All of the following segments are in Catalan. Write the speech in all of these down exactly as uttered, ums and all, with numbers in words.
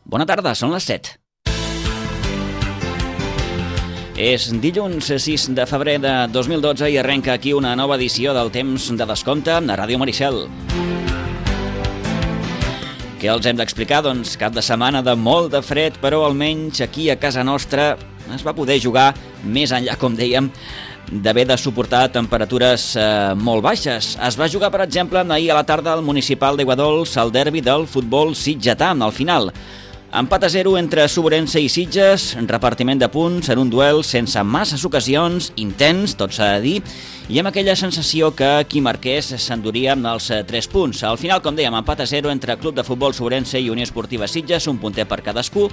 Bona tarda, són les set. És dilluns sis de febrer de dos mil dotze i arrenca aquí una nova edició del Temps de Descompte a Ràdio Maricel. Què els hem d'explicar? Doncs cap de setmana de molt de fred, però almenys aquí a casa nostra es va poder jugar més enllà, com dèiem, d'haver de suportar temperatures eh, molt baixes. Es va jugar, per exemple, ahir a la tarda al Municipal d'Aiguadols el derbi del futbol sitgetà. Al final, empat a zero entre Sobrense i Sitges, repartiment de punts en un duel sense masses ocasions, intens, tot s'ha de dir, i amb aquella sensació que qui marqués s'enduria amb els tres punts. Al final, com dèiem, empat a zero entre Club de Futbol Sobrense i Unió Esportiva Sitges, un punter per cadascú.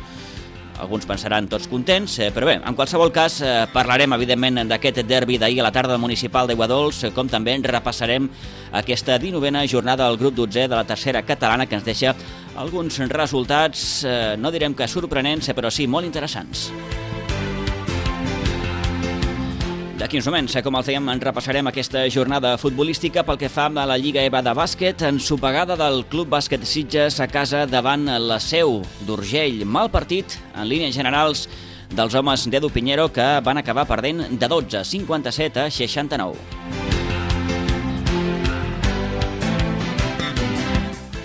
Alguns pensaran tots contents, però bé, en qualsevol cas parlarem evidentment d'aquest derbi d'ahir a la tarda del Municipal d'Aiguadols, com també repassarem aquesta dinovena jornada del grup dotzè de la tercera catalana, que ens deixa alguns resultats, no direm que sorprenents, però sí molt interessants. D'aquí uns moments, com els dèiem, en repassarem aquesta jornada futbolística pel que fa a la Lliga EVA de bàsquet, ensopegada del Club Bàsquet Sitges a casa davant la Seu d'Urgell. Mal partit, en línies generals, dels homes d'Edu Piñero, que van acabar perdent de dotze, cinquanta-set a seixanta-nou.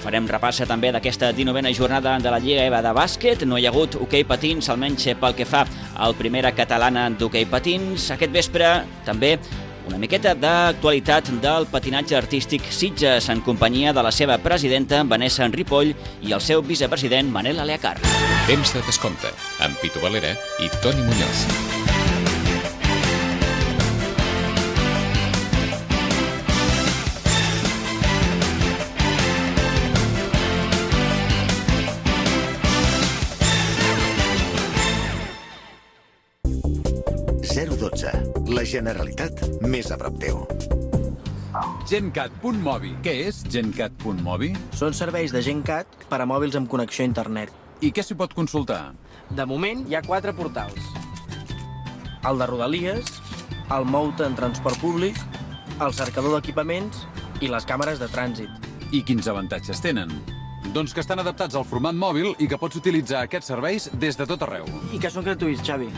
Farem repassa també d'aquesta dinovena jornada de la Lliga EVA de bàsquet. No hi ha hagut hoquei patins, almenys pel que fa al primera catalana d'hoquei patins. Aquest vespre també una miqueta d'actualitat del patinatge artístic Sitges en companyia de la seva presidenta Vanessa Ripoll i el seu vicepresident Manel Aleacar. Temps de Descompte, amb Pitu Valera i Toni Muñoz. zero dotze. La Generalitat més a prop teu. Gencat punt mobi. Què és Gencat punt mobi? Són serveis de Gencat per a mòbils amb connexió a internet. I què s'hi pot consultar? De moment hi ha quatre portals. El de Rodalies, el Moute en transport públic, el cercador d'equipaments i les càmeres de trànsit. I quins avantatges tenen? Doncs que estan adaptats al format mòbil i que pots utilitzar aquests serveis des de tot arreu. I que són gratuïts, Xavi.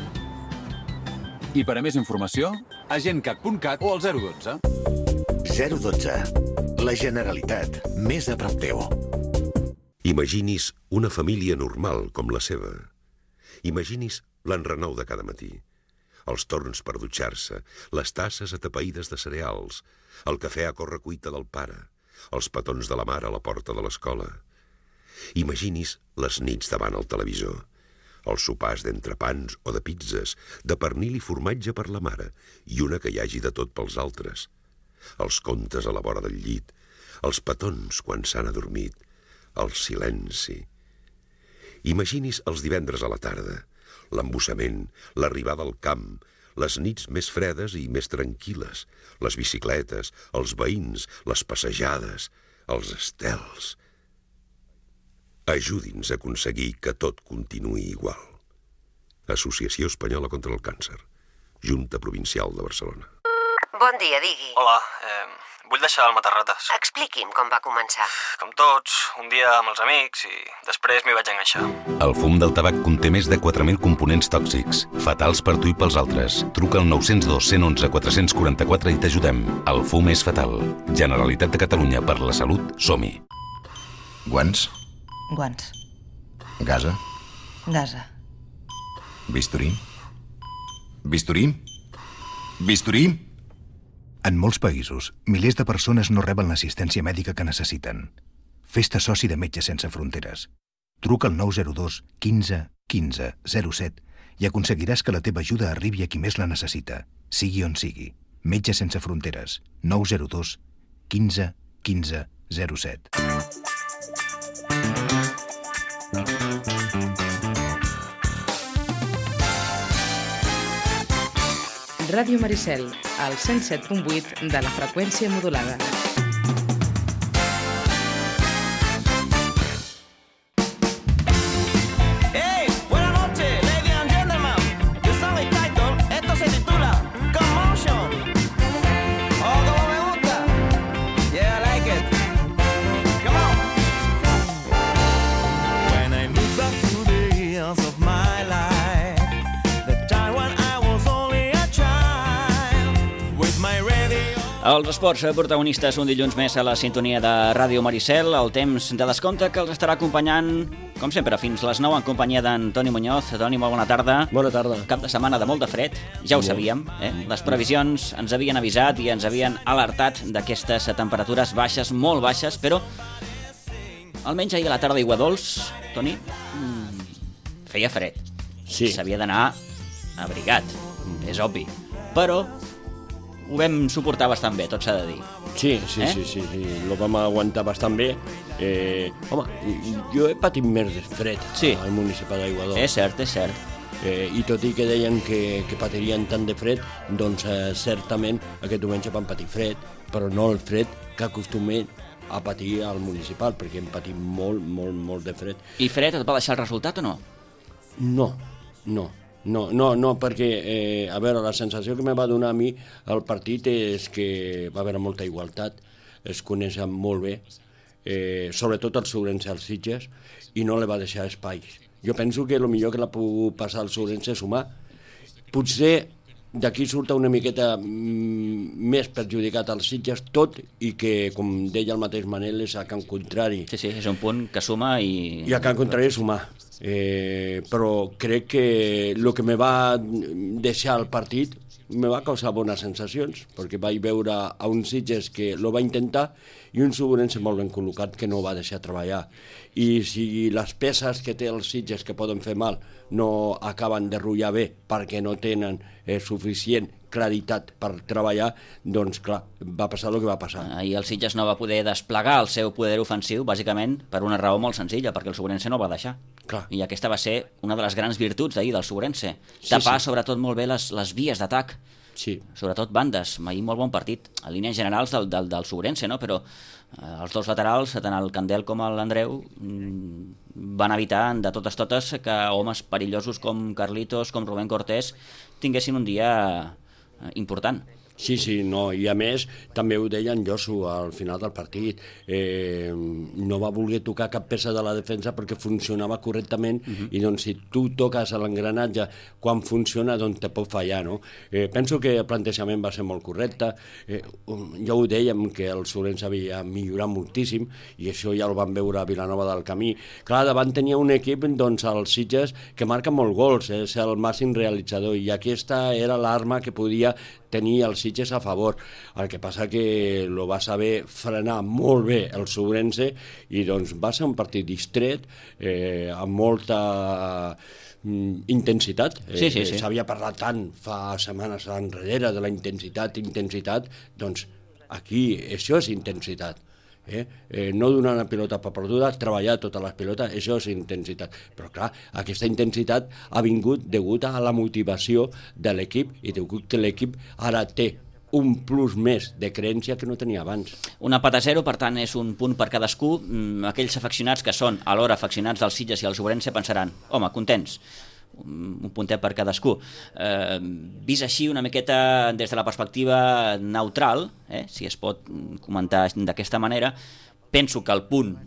I per a més informació, a gencat punt cat o al zero dotze. zero dotze. La Generalitat més a prop teu. Imagini's una família normal com la seva. Imagini's l'enrenou de cada matí. Els torns per dutxar-se, les tasses atapeïdes de cereals, el cafè a correcuita del pare, els petons de la mare a la porta de l'escola. Imagini's les nits davant el televisor. Els sopars d'entrepans o de pizzas, de pernil i formatge per la mare i una que hi hagi de tot pels altres. Els contes a la vora del llit, els petons quan s'han adormit, el silenci. Imagini's els divendres a la tarda, l'embussament, l'arribada al camp, les nits més fredes i més tranquil·les, les bicicletes, els veïns, les passejades, els estels. Ajudi'ns a aconseguir que tot continuï igual. Associació Espanyola contra el Càncer. Junta Provincial de Barcelona. Bon dia, digui. Hola, eh, vull deixar el matarrates. Expliqui'm com va començar. Com tots, un dia amb els amics i després m'hi vaig enganxar. El fum del tabac conté més de quatre mil components tòxics, fatals per tu i pels altres. Truca al nou zero dos, cent onze, quatre cents quaranta-quatre i t'ajudem. El fum és fatal. Generalitat de Catalunya, per la salut, som-hi. Guants? Guants. Gasa? Gasa. Bisturí? Bisturí? Bisturí? En molts països, milers de persones no reben l'assistència mèdica que necessiten. Fes-te soci de Metges Sense Fronteres. Truca al nou zero dos, quinze, quinze, zero set i aconseguiràs que la teva ajuda arribi a qui més la necessita, sigui on sigui. Metges Sense Fronteres. nou zero dos, quinze, quinze, zero set. Ràdio Maricel, al cent set punt vuit de la freqüència modulada. Hey, buenas noches, ladies and gentlemen. Yo soy el title, esto se titula Commotion. Oh, como me gusta. Yeah, I like it. Come on. When I move back to the Els esports protagonistes un dilluns més a la sintonia de Ràdio Maricel, el temps de descompte que els estarà acompanyant, com sempre, fins les nou en companyia d'en Toni Muñoz. Toni, molt bona tarda. Bona tarda. Cap de setmana de molt de fred, ja ho sabíem. Eh? Les previsions ens havien avisat i ens havien alertat d'aquestes temperatures baixes, molt baixes, però almenys ahir a la tarda aigua dolç, Toni, mmm, feia fred. Sí. S'havia d'anar abrigat, és obvi. Però ho vam suportar bastant bé, tot s'ha de dir. Sí, sí, eh? sí, sí, sí, lo vam aguantar bastant bé. Eh, home, jo he patit més de fred sí. al municipi d'Aiguador. És cert, és cert. Eh, I tot i que deien que, que patirien tant de fred, doncs eh, certament aquest diumenge van patir fred, però no el fred que acostumem a patir al municipal, perquè hem patit molt, molt, molt de fred. I fred et va deixar el resultat o no? No, no. No, no, no, perquè, eh, a veure, la sensació que me va donar a mi el partit és que va haver molta igualtat, es coneixen molt bé, eh, sobretot els Ourense als Sitges, i no li va deixar espai. Jo penso que el millor que la puc passar als Ourense és sumar. Potser d'aquí surt una miqueta mm, més perjudicat als Sitges, tot i que, com deia el mateix Manel, és a Can Contrari. Sí, sí, és un punt que suma i... I a Can Contrari és sumar. Eh, però crec que el que me va deixar el partit me va causar bones sensacions, perquè vaig veure a un Sitges que lo va intentar i un Ourense molt ben col·locat que no va deixar treballar. I si les peces que té els Sitges que poden fer mal no acaben de rutllar bé perquè no tenen eh, suficient claritat per treballar, doncs clar, va passar el que va passar. Ahir el Sitges no va poder desplegar el seu poder ofensiu, bàsicament per una raó molt senzilla, perquè el Ourense no el va deixar. Clar. I aquesta va ser una de les grans virtuts d'ahir del Ourense. Sí, Tapar sí. sobretot molt bé les, les vies d'atac, sí. sobretot bandes. Ahir molt bon partit, a línies generals del, del, del Ourense, no? Però eh, els dos laterals, tant el Candel com l'Andreu, van evitar de totes totes que homes perillosos com Carlitos, com Rubén Cortés, tinguessin un dia important. Sí, sí, no, i a més també ho deia en Josu al final del partit, eh, no va voler tocar cap peça de la defensa perquè funcionava correctament uh-huh. i doncs si tu toques l'engranatge quan funciona doncs te pot fallar, no? Eh, penso que el plantejament va ser molt correcte, eh, ja ho dèiem que el Ourense havia millorat moltíssim i això ja el vam veure a Vilanova del Camí. Clar, davant tenia un equip, doncs, als Sitges, que marca molt gols, eh, és el màxim realitzador i aquesta era l'arma que podia tenir els Sitges a favor. El que passa que lo va saber frenar molt bé el Ourense i doncs va ser un partit distret, eh, amb molta mm, intensitat. Sí, sí, sí. Eh, s'havia parlat tant fa setmanes enrere de la intensitat, intensitat, doncs aquí això és intensitat. Eh? Eh, no donar una pilota per perduda, treballar totes les pilotes, això és intensitat. Però clar, aquesta intensitat ha vingut degut a la motivació de l'equip i degut que l'equip ara té un plus més de creència que no tenia abans. Un empat a zero, per tant, és un punt per cadascú. Aquells afeccionats que són alhora afeccionats dels Sitges i els Ourense pensaran, home, contents, un puntet per cadascú. Eh, vist així una miqueta des de la perspectiva neutral, eh, si es pot comentar d'aquesta manera, penso que el punt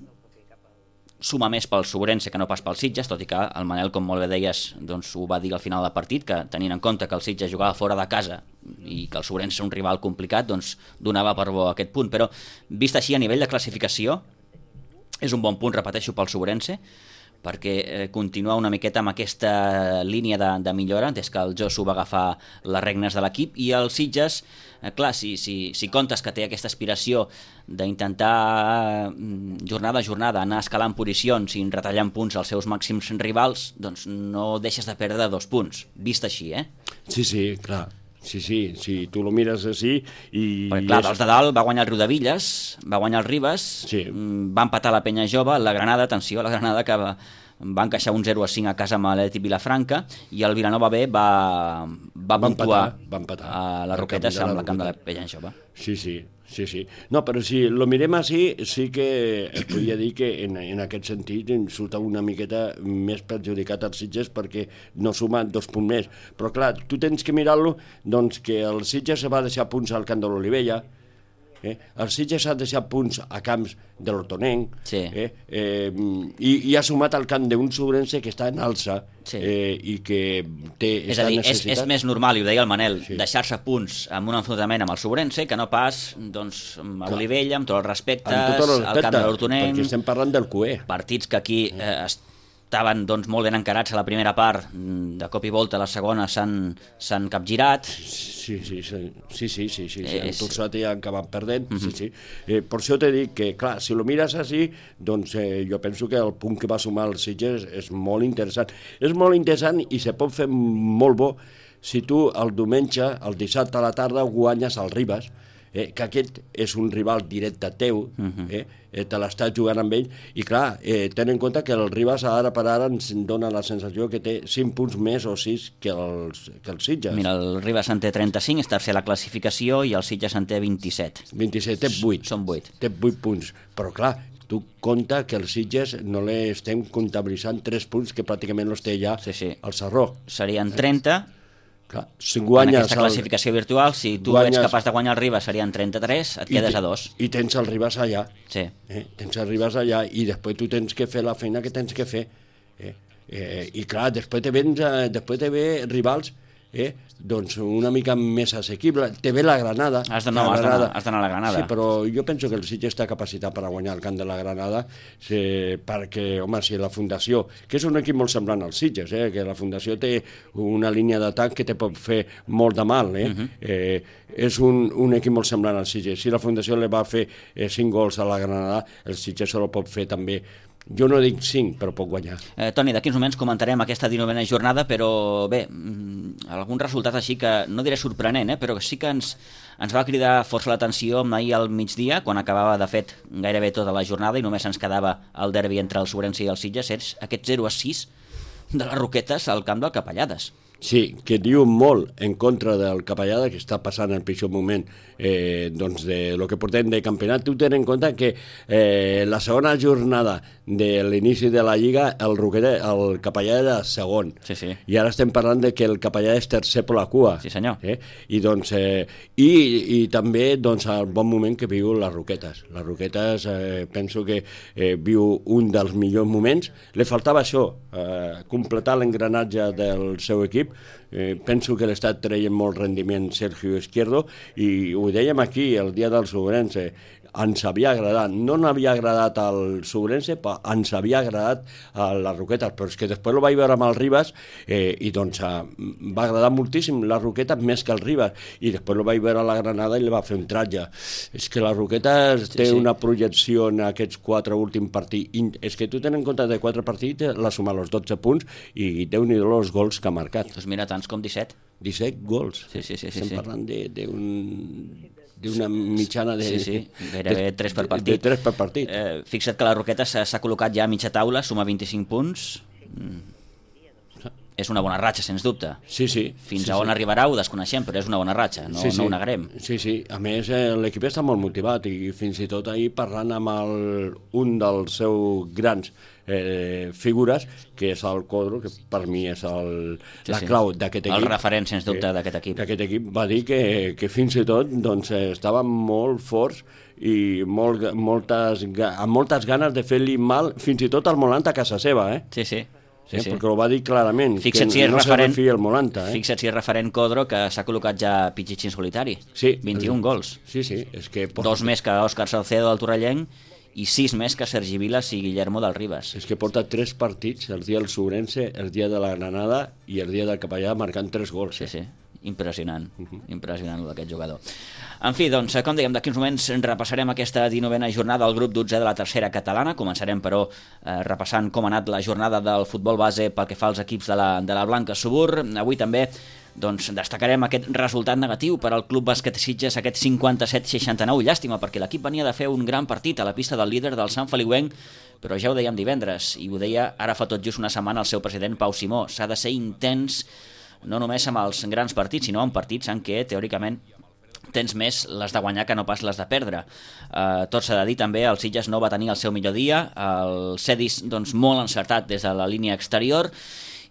suma més pel Ourense que no pas pel Sitges, tot i que el Manel, com molt bé deies, doncs, ho va dir al final del partit, que tenint en compte que el Sitges jugava fora de casa i que el Ourense és un rival complicat, doncs donava per bo aquest punt. Però vist així a nivell de classificació, és un bon punt, repeteixo, pel Ourense, perquè eh, continua una miqueta amb aquesta línia de, de millora des que el Josu va agafar les regnes de l'equip, i el Sitges, eh, clar, si, si, si comptes que té aquesta aspiració d'intentar eh, jornada a jornada anar escalant posicions i retallant punts als seus màxims rivals, doncs no deixes de perdre dos punts, vist així, eh? Sí, sí, clar. Sí, sí, sí, tu lo mires així i... Perquè, clar, dels de dalt va guanyar el Riudevilles, va guanyar el Ribes, sí. va empatar la Penya Jove, la Granada, atenció, la Granada que va, va encaixar un zero a cinc a casa amb l'Atlètic Vilafranca, i el Vilanova B va, va, va puntuar empatar, va empatar. a la Roquetes amb la camp de la Penya Jove. Sí, sí, sí, sí. No, però si lo mirem així, sí que es podria dir que en, en aquest sentit surt una miqueta més perjudicat als Sitges perquè no suma dos punts més. Però clar, tu tens que mirar-lo, doncs que el Sitges se va deixar punts al camp de l'Olivella, Eh? El Sitges ha deixat punts a camps de l'Hortonenc, sí. eh? Eh, i, i ha sumat al camp d'un Sobrense que està en alça, sí. eh, i que té és a dir, és, és més normal, i ho deia el Manel, sí. deixar-se punts amb un enfrontament amb el Sobrense que no pas doncs, amb Olivella, amb tots els respectes, amb tot el respecte, al camp de l'Hortonenc, perquè estem parlant del Q E. Partits que aquí eh, estaven doncs, molt ben encarats a la primera part, de cop i volta a la segona s'han capgirat. Sí, sí, sí, sí, sí, sí, sí, sí. És... han torçat i han acabat perdent, uh-huh. sí, sí. Eh, per això t'he dit que, clar, si lo mires així, doncs eh, jo penso que el punt que va sumar el Sitges és molt interessant. És molt interessant i se pot fer molt bo si tu el diumenge, el dissabte a la tarda, guanyes el Ribas, eh, que aquest és un rival directe teu, uh-huh. eh, eh, te l'estàs jugant amb ell, i clar, eh, ten en compte que el Ribas ara per ara ens dona la sensació que té cinc punts més o sis que el, que el Sitges. Mira, el Ribas en té trenta-cinc, és tercer a la classificació, i el Sitges en té vint-i-set. vint-i-set, té vuit. Són vuit. Té vuit punts, però clar, tu compta que el Sitges no l'estem comptabilitzant tres punts que pràcticament els té ja sí, sí. al Sarró. Serien trenta. Clar, si guanyes en aquesta classificació el... virtual, si tu guanyes... ets capaç de guanyar el Ribas serien trenta-tres, et I quedes te... a dos. I tens el Ribas allà. Sí. Eh? Tens el Ribas allà i després tu tens que fer la feina que tens que fer. Eh? Eh, I clar, després te vens, eh, després te ve rivals eh? doncs una mica més assequible. Te ve la Granada. Has d'anar no, a la Granada. Sí, però jo penso que el Sitges està capacitat per a guanyar el camp de la Granada, sí, perquè, home, si la Fundació, que és un equip molt semblant als Sitges, eh? que la Fundació té una línia d'atac que te pot fer molt de mal, eh? Uh-huh. eh, és un, un equip molt semblant als Sitges. Si la Fundació li va fer eh, cinc gols a la Granada, el Sitges se lo pot fer també. Jo no dic cinc, però pot guanyar. Eh, Toni, d'aquí uns moments comentarem aquesta dinovena jornada, però bé, algun resultat així que, no diré sorprenent, eh, però sí que ens, ens va cridar força l'atenció ahir al migdia, quan acabava, de fet, gairebé tota la jornada i només ens quedava el derbi entre el Sobrense i el Sitges, és aquest zero a sis de les Roquetes al camp del Capellades. Sí, que diu molt en contra del Capellada, que està passant el pitjor moment eh, doncs de lo que portem de campionat. Tu ten en compte que eh, la segona jornada de l'inici de la Lliga el, Roqueta, el Capellada era segon. Sí, sí. I ara estem parlant de que el Capellada és tercer per la cua. Sí, senyor. Eh? I, doncs, eh, i, i també doncs, el bon moment que viu les Roquetes. Les Roquetes eh, penso que eh, viu un dels millors moments. Le faltava això, eh, completar l'engranatge del seu equip. Eh, penso que l'estat treia molt rendiment Sergio Izquierdo i ho dèiem aquí el dia del Sobrense, ens havia agradat, no n'havia agradat al Sobrense, però ens havia agradat a les Roquetes, però és que després ho vaig veure amb el Ribas eh, i doncs eh, va agradar moltíssim les Roquetes més que el Ribas, i després ho vaig veure a la Granada i li va fer un tratge. És que les Roquetes sí, té sí. una projecció en aquests quatre últims partits, és que tu tens en compte de quatre partits, la suma els dotze punts i Déu-n'hi-do els gols que ha marcat. Doncs mira, tants com disset. disset gols. Sí, sí, sí, sí, Estem sí. parlant d'un... d'una mitjana de... Sí, sí, gairebé tres per partit. De tres per partit. Eh, fixa't que la Roqueta s'ha col·locat ja a mitja taula, suma vint-i-cinc punts. Mm. És una bona ratxa, sens dubte. Sí, sí. Fins sí, a on sí. arribarà ho desconeixem, però és una bona ratxa, no, sí, sí. no ho negarem. Sí, sí. A més, eh, l'equip està molt motivat i fins i tot ahir parlant amb el, un dels seus grans eh, figures, que és el Codro, que per mi és el, sí, la sí. clau d'aquest equip. El referent, sens dubte, eh, d'aquest equip. D'aquest equip va dir que, que fins i tot doncs, estaven molt forts i molt, moltes, amb moltes ganes de fer-li mal, fins i tot al Molanta a casa seva. Eh? Sí, sí. Sí, eh, sí. Perquè ho va dir clarament, fixa't que si no referent, se refia el Molanta. Eh? Fixa't si és referent Codro, que s'ha col·locat ja Pichichi en solitari. Sí. vint-i-un gols. Sí, sí. És que... Dos més que Òscar Salcedo del Torrellenc i sis més que Sergi Vilas i Guillermo del Ribas. És que porta tres partits, el dia del Sobrense, el dia de la Granada i el dia del Capellà, marcant tres gols. Sí, sí. Impressionant, uh-huh. impressionant d'aquest jugador. En fi, doncs, com dèiem, d'aquí uns moments repassarem aquesta dinovena jornada al grup dotzè de la tercera catalana. Començarem, però, eh, repassant com ha anat la jornada del futbol base pel que fa als equips de la, de la Blanca Subur. Avui també doncs, destacarem aquest resultat negatiu per al Club Bàsquet Sitges, aquest cinquanta-set seixanta-nou. Llàstima, perquè l'equip venia de fer un gran partit a la pista del líder del Sant Feliuenc, però ja ho dèiem divendres, i ho deia ara fa tot just una setmana el seu president Pau Simó. S'ha de ser intens no només amb els grans partits, sinó en partits en què, teòricament, tens més les de guanyar que no pas les de perdre. Uh, tot s'ha de dir també, el Sitges no va tenir el seu millor dia, el Cedis doncs, molt encertat des de la línia exterior,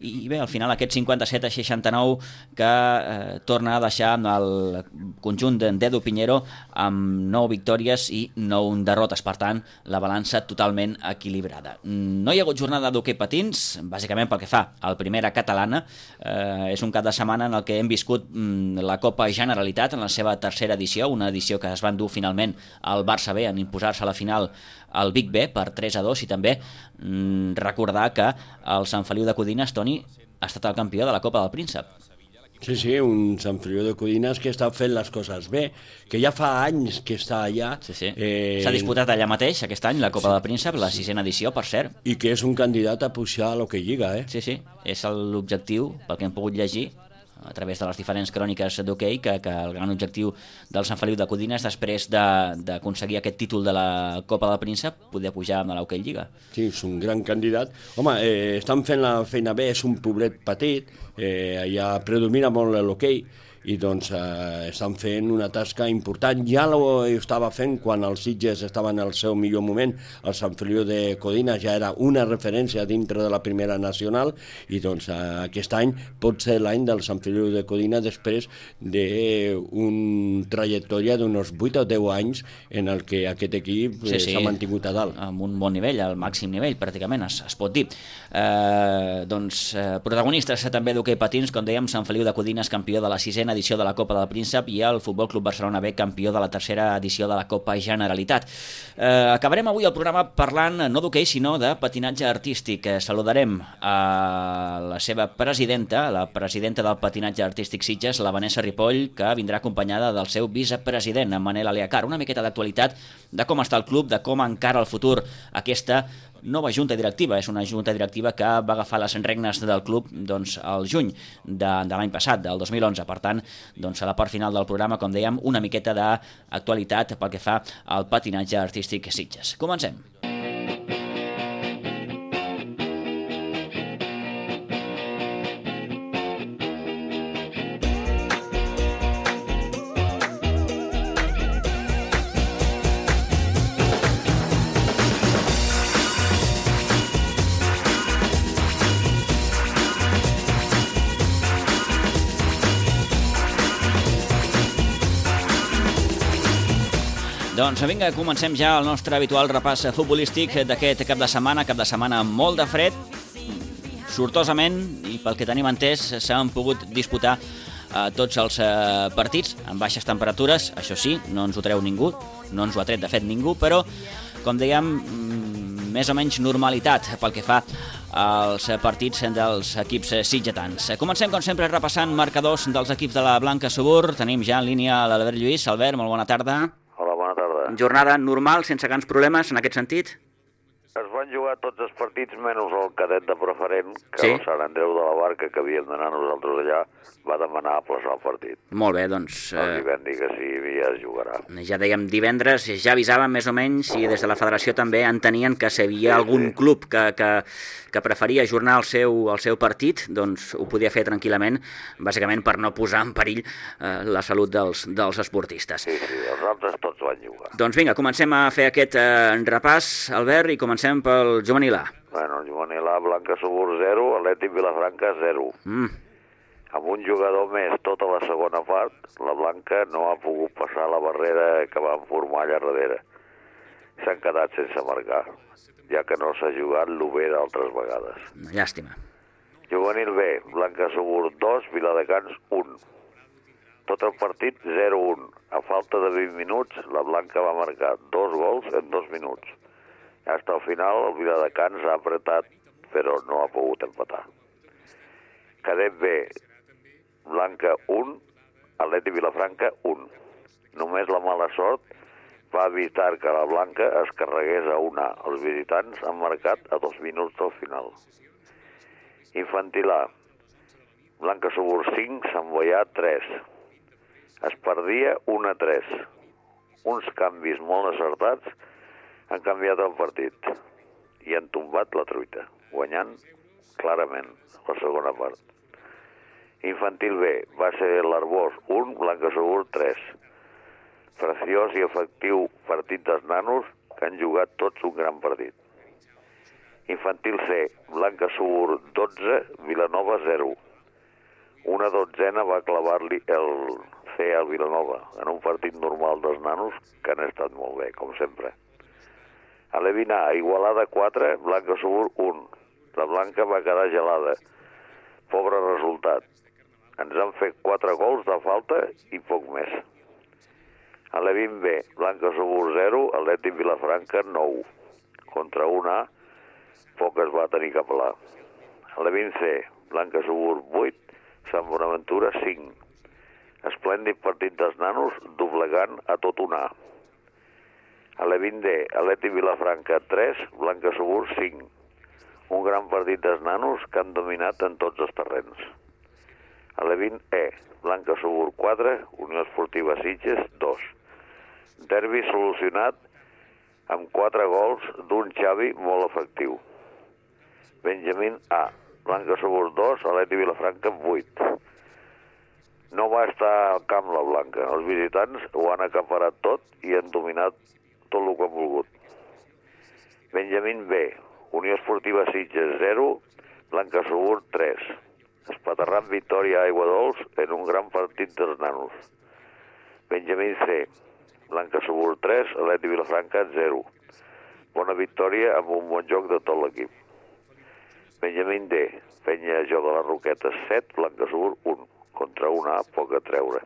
i bé, al final aquest cinquanta-set a seixanta-nou que eh, torna a deixar el conjunt d'Edu Piñero amb nou victòries i nou derrotes, per tant la balança totalment equilibrada. No hi ha hagut jornada d'hoquei patins, bàsicament pel que fa al Primera Catalana. Eh, és un cap de setmana en el que hem viscut mm, la Copa Generalitat en la seva tercera edició, una edició que es va endur finalment al Barça B en imposar-se a la final al Big B per tres a dos, i també mm, recordar que el Sant Feliu de Codines, Toni, ha estat el campió de la Copa del Príncep. Sí, sí, un Sant Feliu de Codines que està fent les coses bé, que ja fa anys que està allà. Sí, sí. Eh... S'ha disputat allà mateix aquest any la Copa sí. del Príncep, la sisena edició, per cert. I que és un candidat a pujar a l'Hockey Lliga, eh? Sí, sí, és l'objectiu, pel que hem pogut llegir, a través de les diferents cròniques d'hoquei, que, que el gran objectiu del Sant Feliu de Codines, després d'aconseguir aquest títol de la Copa del Príncep, poder pujar a l'Hockey Lliga. Sí, és un gran candidat. Home, eh, estan fent la feina bé, és un poblet petit, eh, allà predomina molt l'hoquei, i doncs eh, estan fent una tasca important. Ja ho estava fent quan els Sitges estaven al seu millor moment. El Sant Feliu de Codines ja era una referència dintre de la primera nacional, i doncs eh, aquest any pot ser l'any del Sant Feliu de Codines després d'una trajectòria d'uns vuit o deu anys en el que aquest equip s'ha sí, sí. mantingut a dalt. Amb un bon nivell, al màxim nivell, pràcticament, es, es pot dir. Eh, doncs, eh, protagonistes també d'hoquei patins, com dèiem, Sant Feliu de Codines, campió de la sisena edició de la Copa del Príncep, i el Futbol Club Barcelona B, campió de la tercera edició de la Copa Generalitat. Eh, acabarem avui el programa parlant no d'hoquei, sinó de patinatge artístic. Eh, saludarem a la seva presidenta, la presidenta del patinatge artístic Sitges, la Vanessa Ripoll, que vindrà acompanyada del seu vicepresident, en Manel Aliacar. Una miqueta d'actualitat de com està el club, de com encara el futur aquesta nova junta directiva. És una junta directiva que va agafar les regnes del club doncs, al juny de, de l'any passat, del dos mil onze. Per tant, doncs, a la part final del programa, com dèiem, una miqueta d'actualitat pel que fa al patinatge artístic Sitges. Comencem. Doncs vinga, comencem ja el nostre habitual repàs futbolístic d'aquest cap de setmana, cap de setmana molt de fred. Sortosament, i pel que tenim entès, s'han pogut disputar eh, tots els eh, partits amb baixes temperatures. Això sí, no ens ho treu ningú, no ens ho ha tret de fet ningú, però, com dèiem, més o menys normalitat pel que fa als partits dels equips sitgetans. Comencem, com sempre, repassant marcadors dels equips de la Blanca Subur. Tenim ja en línia l'Albert Lluís. Albert, molt bona tarda. Hola, bona tarda. Jornada normal, sense grans problemes en aquest sentit? Es van jugar tots els partits menys el cadet de preferent, que sí? El Sant Andreu de la Barca, que havíem d'anar nosaltres allà, va demanar aplaçar el partit. Molt bé, doncs... No li vam dir que sí, ja es jugarà. Ja dèiem divendres, ja avisaven més o menys, i des de la federació també entenien que si hi havia sí, algun sí. club que, que, que preferia ajornar el seu, el seu partit, doncs ho podia fer tranquil·lament, bàsicament per no posar en perill eh, la salut dels, dels esportistes. Sí, sí, els altres tots van jugar. Doncs vinga, comencem a fer aquest eh, repàs, Albert, i comencem pel juvenil A. Bueno, el juvenil A, Blanca Subur zero, Atlètic Vilafranca zero. Mm. Amb un jugador més tota la segona part, la Blanca no ha pogut passar la barrera que van formar allà darrere. S'han quedat sense marcar, ja que no s'ha jugat l'U B d'altres vegades. Una llàstima. Juvenil B, Blanca Subur dos, Viladecans un. Tot el partit zero un. A falta de vint minuts, la Blanca va marcar dos gols en dos minuts. Hasta el final, el Viladecans ha apretat, però no ha pogut empatar. Cadet B, Blanca un, Atlètic Vilafranca un. Només la mala sort va evitar que la Blanca es carregués a una. Els visitants han marcat a dos minuts del final. Infantil A, Blanca Subur cinc, Sant Boià tres. Es perdia un a tres. Uns canvis molt acertats han canviat el partit i han tombat la truita, guanyant clarament la segona part. Infantil B va ser l'Arbós un, Blanca Subur tres. Preciós i efectiu partit dels nanos que han jugat tots un gran partit. Infantil C, Blanca Subur dotze, Vilanova zero. Una dotzena va clavar-li el C al Vilanova en un partit normal dels nanos que han estat molt bé, com sempre. A l'E vint A, Igualada quatre, Blanca Subur un. La Blanca va quedar gelada. Pobre resultat. Ens han fet quatre gols de falta i poc més. A l'E vint B, Blanca Subur zero, Atlètic Vilafranca nou. Contra un A, poc es va tenir que pelar. A l'E vint C, Blanca Subur vuit, Sant Bonaventura cinc. Esplèndid partit dels nanos, doblegant a tot un A. A l'E vint D, Atlètic Vilafranca tres, Blanca Subur cinc. Un gran partit dels nanos que han dominat en tots els terrenys. A l'E vint E, Blanca Subur quatre, Unió Esportiva Sitges dos. Derbi solucionat amb quatre gols d'un Xavi molt efectiu. Benjamín A, Blanca Subur dos, Atlètic Vilafranca vuit. No va estar al camp la Blanca. Els visitants ho han acaparat tot i han dominat tot el que han volgut. Benjamín B, Unió Esportiva Sitges zero, Blanca Subur tres. Espaterrant victòria a Aiguadols en un gran partit dels nanos. Benjamín C, Blanca Subur tres, Atlètic Vilafranca zero. Bona victòria amb un bon joc de tot l'equip. Benjamín D, Penya Joc de les Roquetes set, Blanca Subur un. Contra un A, poc a treure.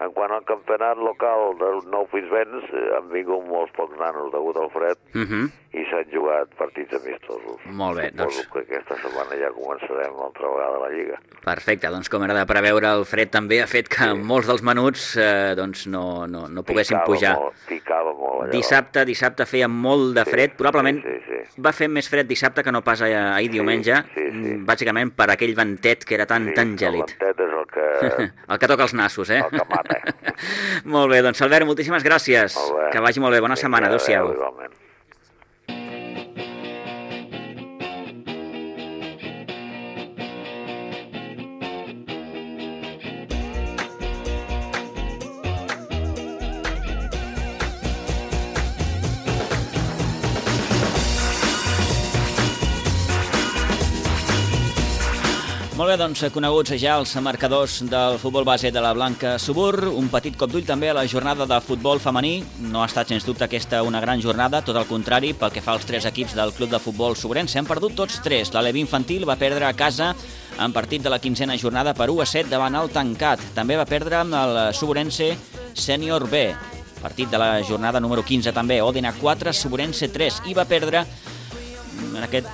En quant al campionat local del Nou Pinsbens, han vingut molts pocs nanos degut al fred uh -huh. i s'han jugat partits amistosos. Molt bé, doncs... Suposo que aquesta setmana ja començarem l'altra vegada la Lliga. Perfecte, doncs com era de preveure, el fred també ha fet que sí. molts dels menuts eh, doncs no, no, no poguessin picava pujar. Molt, picava molt allà. Dissabte, dissabte feia molt de fred, sí, probablement sí, sí, sí. va fer més fred dissabte que no pas ahir sí, diumenge, sí, sí. bàsicament per aquell ventet que era tan, sí, tan gèlid. El ventet és el que... el que toca els nassos, eh? El que mata. Molt bé, doncs Albert, moltíssimes gràcies. Molt bé. Que vagi molt bé, bona Vinga, setmana, adéu-siau. Adéu, igualment. Molt bé, doncs coneguts ja els marcadors del futbol base de la Blanca Subur. Un petit cop d'ull també a la jornada de futbol femení. No ha estat, sens dubte, aquesta una gran jornada, tot el contrari, pel que fa als tres equips del club de futbol suburense. Han perdut tots tres. L'Aleví Infantil va perdre a casa en partit de la quinzena jornada per u a set davant el Tancat. També va perdre el Suburense Sènior B. Partit de la jornada número quinze també. Òdena quatre, Suburense tres. I va perdre, en aquest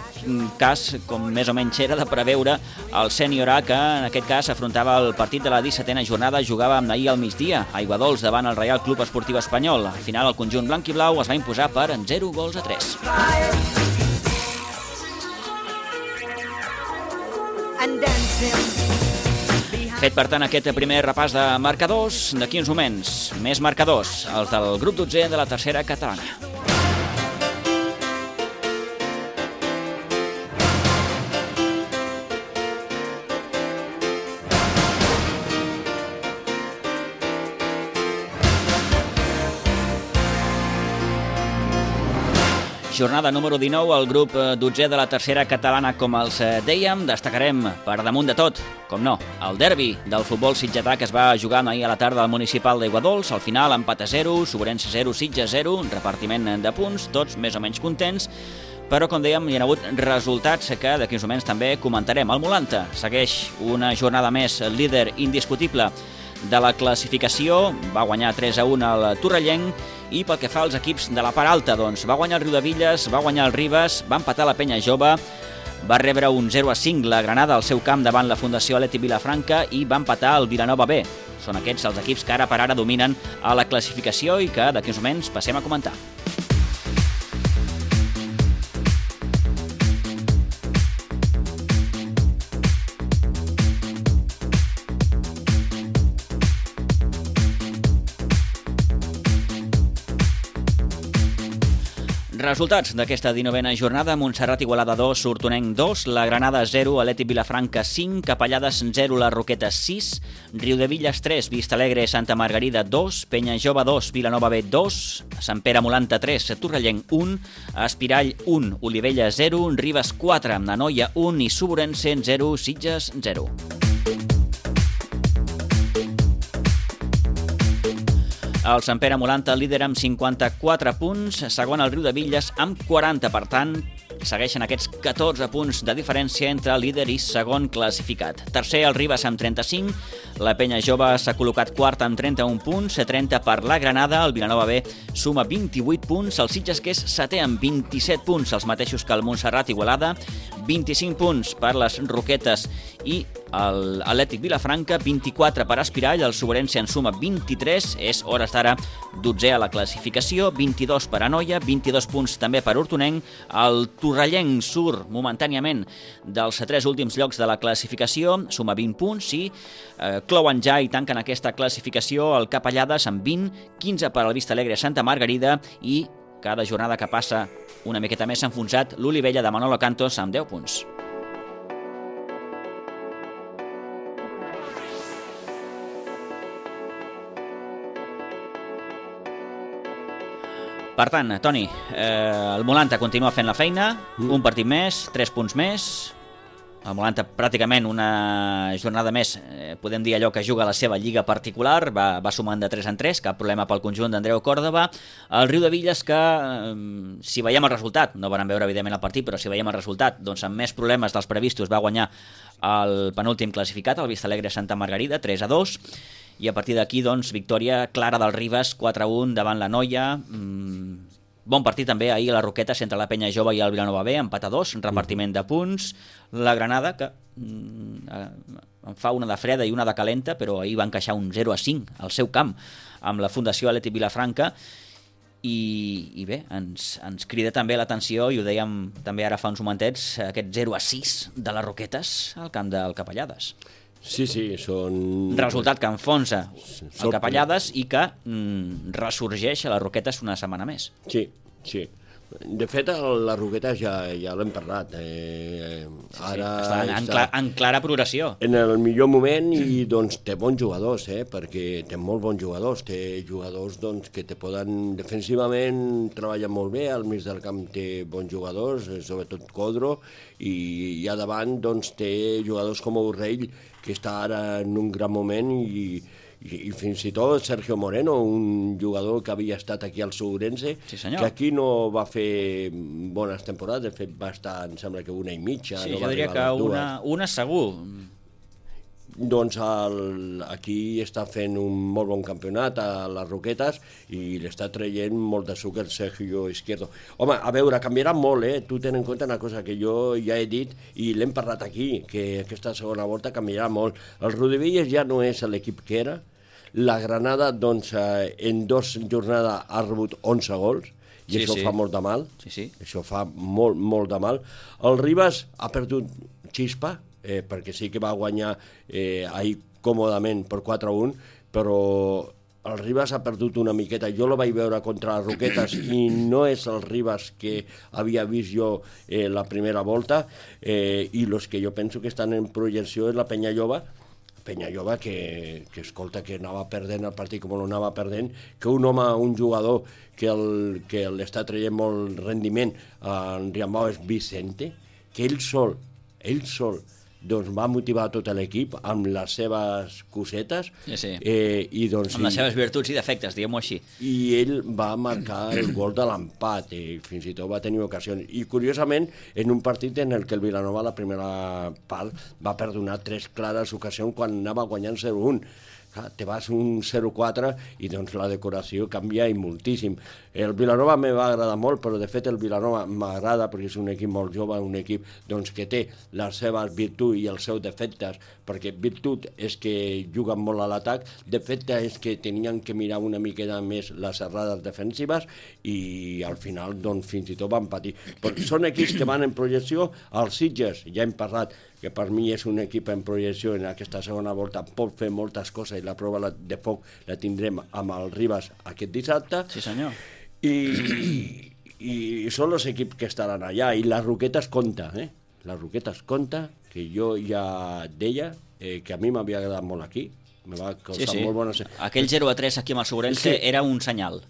cas, com més o menys era de preveure, el Sènior A, que en aquest cas afrontava el partit de la dissetena jornada, jugava amb ahir al migdia, a Aiguadols davant el Reial Club Esportiu Espanyol. Al final el conjunt blanc i blau es va imposar per zero gols a tres. Fet, per tant, aquest primer repàs de marcadors. D'aquí uns moments, més marcadors, els del grup dotzè de la tercera catalana. Jornada número dinou, el grup dotzè de la tercera catalana, com els dèiem. Destacarem, per damunt de tot, com no, el derbi del futbol sitgetà que es va jugar ahir a la tarda al municipal d'Aiguadols. Al final, empat a zero, Suburense zero, Sitges zero, repartiment de punts, tots més o menys contents, però, com dèiem, hi ha hagut resultats que d'aquí uns moments també comentarem. El Molanta segueix una jornada més líder indiscutible de la classificació, va guanyar tres a un al Torrellenc, i pel que fa als equips de la part alta, doncs va guanyar el Riudevilles, va guanyar el Ribes, va empatar la Penya Jove, va rebre un zero a cinc la Granada al seu camp davant la Fundació Atlètic Vilafranca i va empatar el Vilanova B. Són aquests els equips que ara per ara dominen a la classificació i que d'aquí uns moments passem a comentar. Resultats d'aquesta dinovena jornada: Montserrat Igualada dos, Hortonenc dos, la Granada zero, Atlètic Vilafranca cinc, Capellades zero, la Roqueta sis, Riudevilles tres, Vistalegre Santa Margarida dos, Penyajove dos, Vilanova B dos, Sant Pere Molanta tres, Torrellenc un, Espirall un, Olivella zero, Ribes quatre, Nanoia un i Suborense zero, Sitges zero. El Sant Pere Molanta líder amb cinquanta-quatre punts, segon el Riudevilles amb quaranta, per tant, segueixen aquests catorze punts de diferència entre líder i segon classificat. Tercer, el Ribes amb trenta-cinc, la Penyajove s'ha col·locat quart amb trenta-un punts, trenta per la Granada, el Vilanova B suma vint-i-vuit punts, el Sitges que és setè amb vint-i-set punts, els mateixos que el Montserrat Igualada, vint-i-cinc punts per les Roquetes i l'Atlètic Vilafranca, vint-i-quatre per Espirall, el Suborense en suma vint-i-tres, és hores d'ara dotzè a la classificació, vint-i-dos per Anoia, vint-i-dos punts també per Hortonenc, el Torrellenc surt momentàniament dels tres últims llocs de la classificació, suma vint punts i eh, clouen ja i tanquen aquesta classificació el Capellades amb vint, quinze per al Vistalegre Santa Margarida i cada jornada que passa una miqueta més s'ha enfonsat l'Olivella de Manolo Cantos amb deu punts. Per tant, Toni, eh, el Molanta continua fent la feina, mm. un partit més, tres punts més. El Molanta pràcticament una jornada més, eh, podem dir allò que juga a la seva lliga particular, va, va sumant de tres en tres, cap problema pel conjunt d'Andreu Còrdova. El Riudevilles que, eh, si veiem el resultat, no van veure evidentment el partit, però si veiem el resultat, doncs amb més problemes dels previstos va guanyar el penúltim classificat, el Vistalegre Santa Margarida, tres a dos, i a partir d'aquí, doncs, victòria clara del Ribes, quatre a un davant la Noia. Mm, bon partit també ahir a les Roquetes entre la Penyajove i el Vilanova B, empat a dos, repartiment de punts. La Granada, que mm, en fa una de freda i una de calenta, però ahir va encaixar un zero a cinc al seu camp amb la Fundació Atlètic Vilafranca. I, i bé, ens, ens crida també l'atenció, i ho dèiem també ara fa uns momentets, aquest zero a sis de les Roquetes al camp del Capellades. Sí, sí, són... Resultat que enfonsa el Capellades i que mm, ressorgeix a les Roquetes una setmana més. Sí, sí. De fet, les Roquetes ja, ja l'hem parlat. Eh, sí, ara sí, està en, en, clara, en clara progressió. En el millor moment i doncs, té bons jugadors, eh, perquè té molt bons jugadors. Té jugadors doncs, que te poden defensivament treballar molt bé, al mig del camp té bons jugadors, sobretot Codro, i, i a davant doncs, té jugadors com Urrell, que està ara en un gran moment, i, i, i fins i tot Sergio Moreno, un jugador que havia estat aquí al Suborense, sí, que aquí no va fer bones temporades, de fet va estar, em sembla que una i mitja. Sí, no jo diria que una, una segur. Doncs el, aquí està fent un molt bon campionat a les Roquetes i l'està traient molt de suc el Sergio Izquierdo. Home, a veure, canviarà molt, eh? Tu ten en compte una cosa que jo ja he dit i l'hem parlat aquí, que aquesta segona volta canviarà molt. El Riudevilles ja no és l'equip que era. La Granada, doncs, en dos jornades ha rebut onze gols, i sí, això sí. fa molt de mal. Sí, sí. Això fa molt, molt de mal. El Ribes ha perdut xispa, Eh, perquè sí que va guanyar eh, ahir còmodament per quatre a un, però el Ribes ha perdut una miqueta. Jo lo vaig veure contra les Roquetes i no és el Ribes que havia vist jo eh, la primera volta, eh, i els que jo penso que estan en projecció és la Penyajove, Penyajove que, que, escolta, que anava perdent el partit com l'anava perdent, que un home, un jugador que, el, que l'està traient molt rendiment en Riambau és Vicente, que ell sol, ell sol, doncs va motivar tot l'equip amb les seves cosetes. Sí, sí. Eh, i doncs, amb les seves virtuts i defectes, diguem-ho així. I ell va marcar el gol de l'empat, i fins i tot va tenir ocasions. I curiosament, en un partit en el que el Vilanova la primera part va perdonar tres clares ocasions quan anava guanyant zero a un. Te vas un zero a quatre i doncs la decoració canvia i moltíssim. El Vilanova me va agradar molt, però de fet el Vilanova m'agrada perquè és un equip molt jove, un equip doncs, que té les seves virtuts i els seus defectes, perquè virtut és que juguen molt a l'atac, defecte és que tenien que mirar una miqueta més les errades defensives i al final doncs, fins i tot van patir. Però són equips que van en projecció. Els Sitges, ja hem parlat, que per mi és un equip en projecció en aquesta segona volta, pot fer moltes coses i la prova de foc la tindrem amb el Ribes aquest dissabte. Sí, senyor. I, i i són els equips que estaran allà, i les Roquetes compta, eh? Les Roquetes compta, que jo ja deia eh, que a mi m'havia agradat molt aquí, me va causar sí, sí. molt bona... Aquell zero a tres aquí amb el Segurense sí. era un senyal.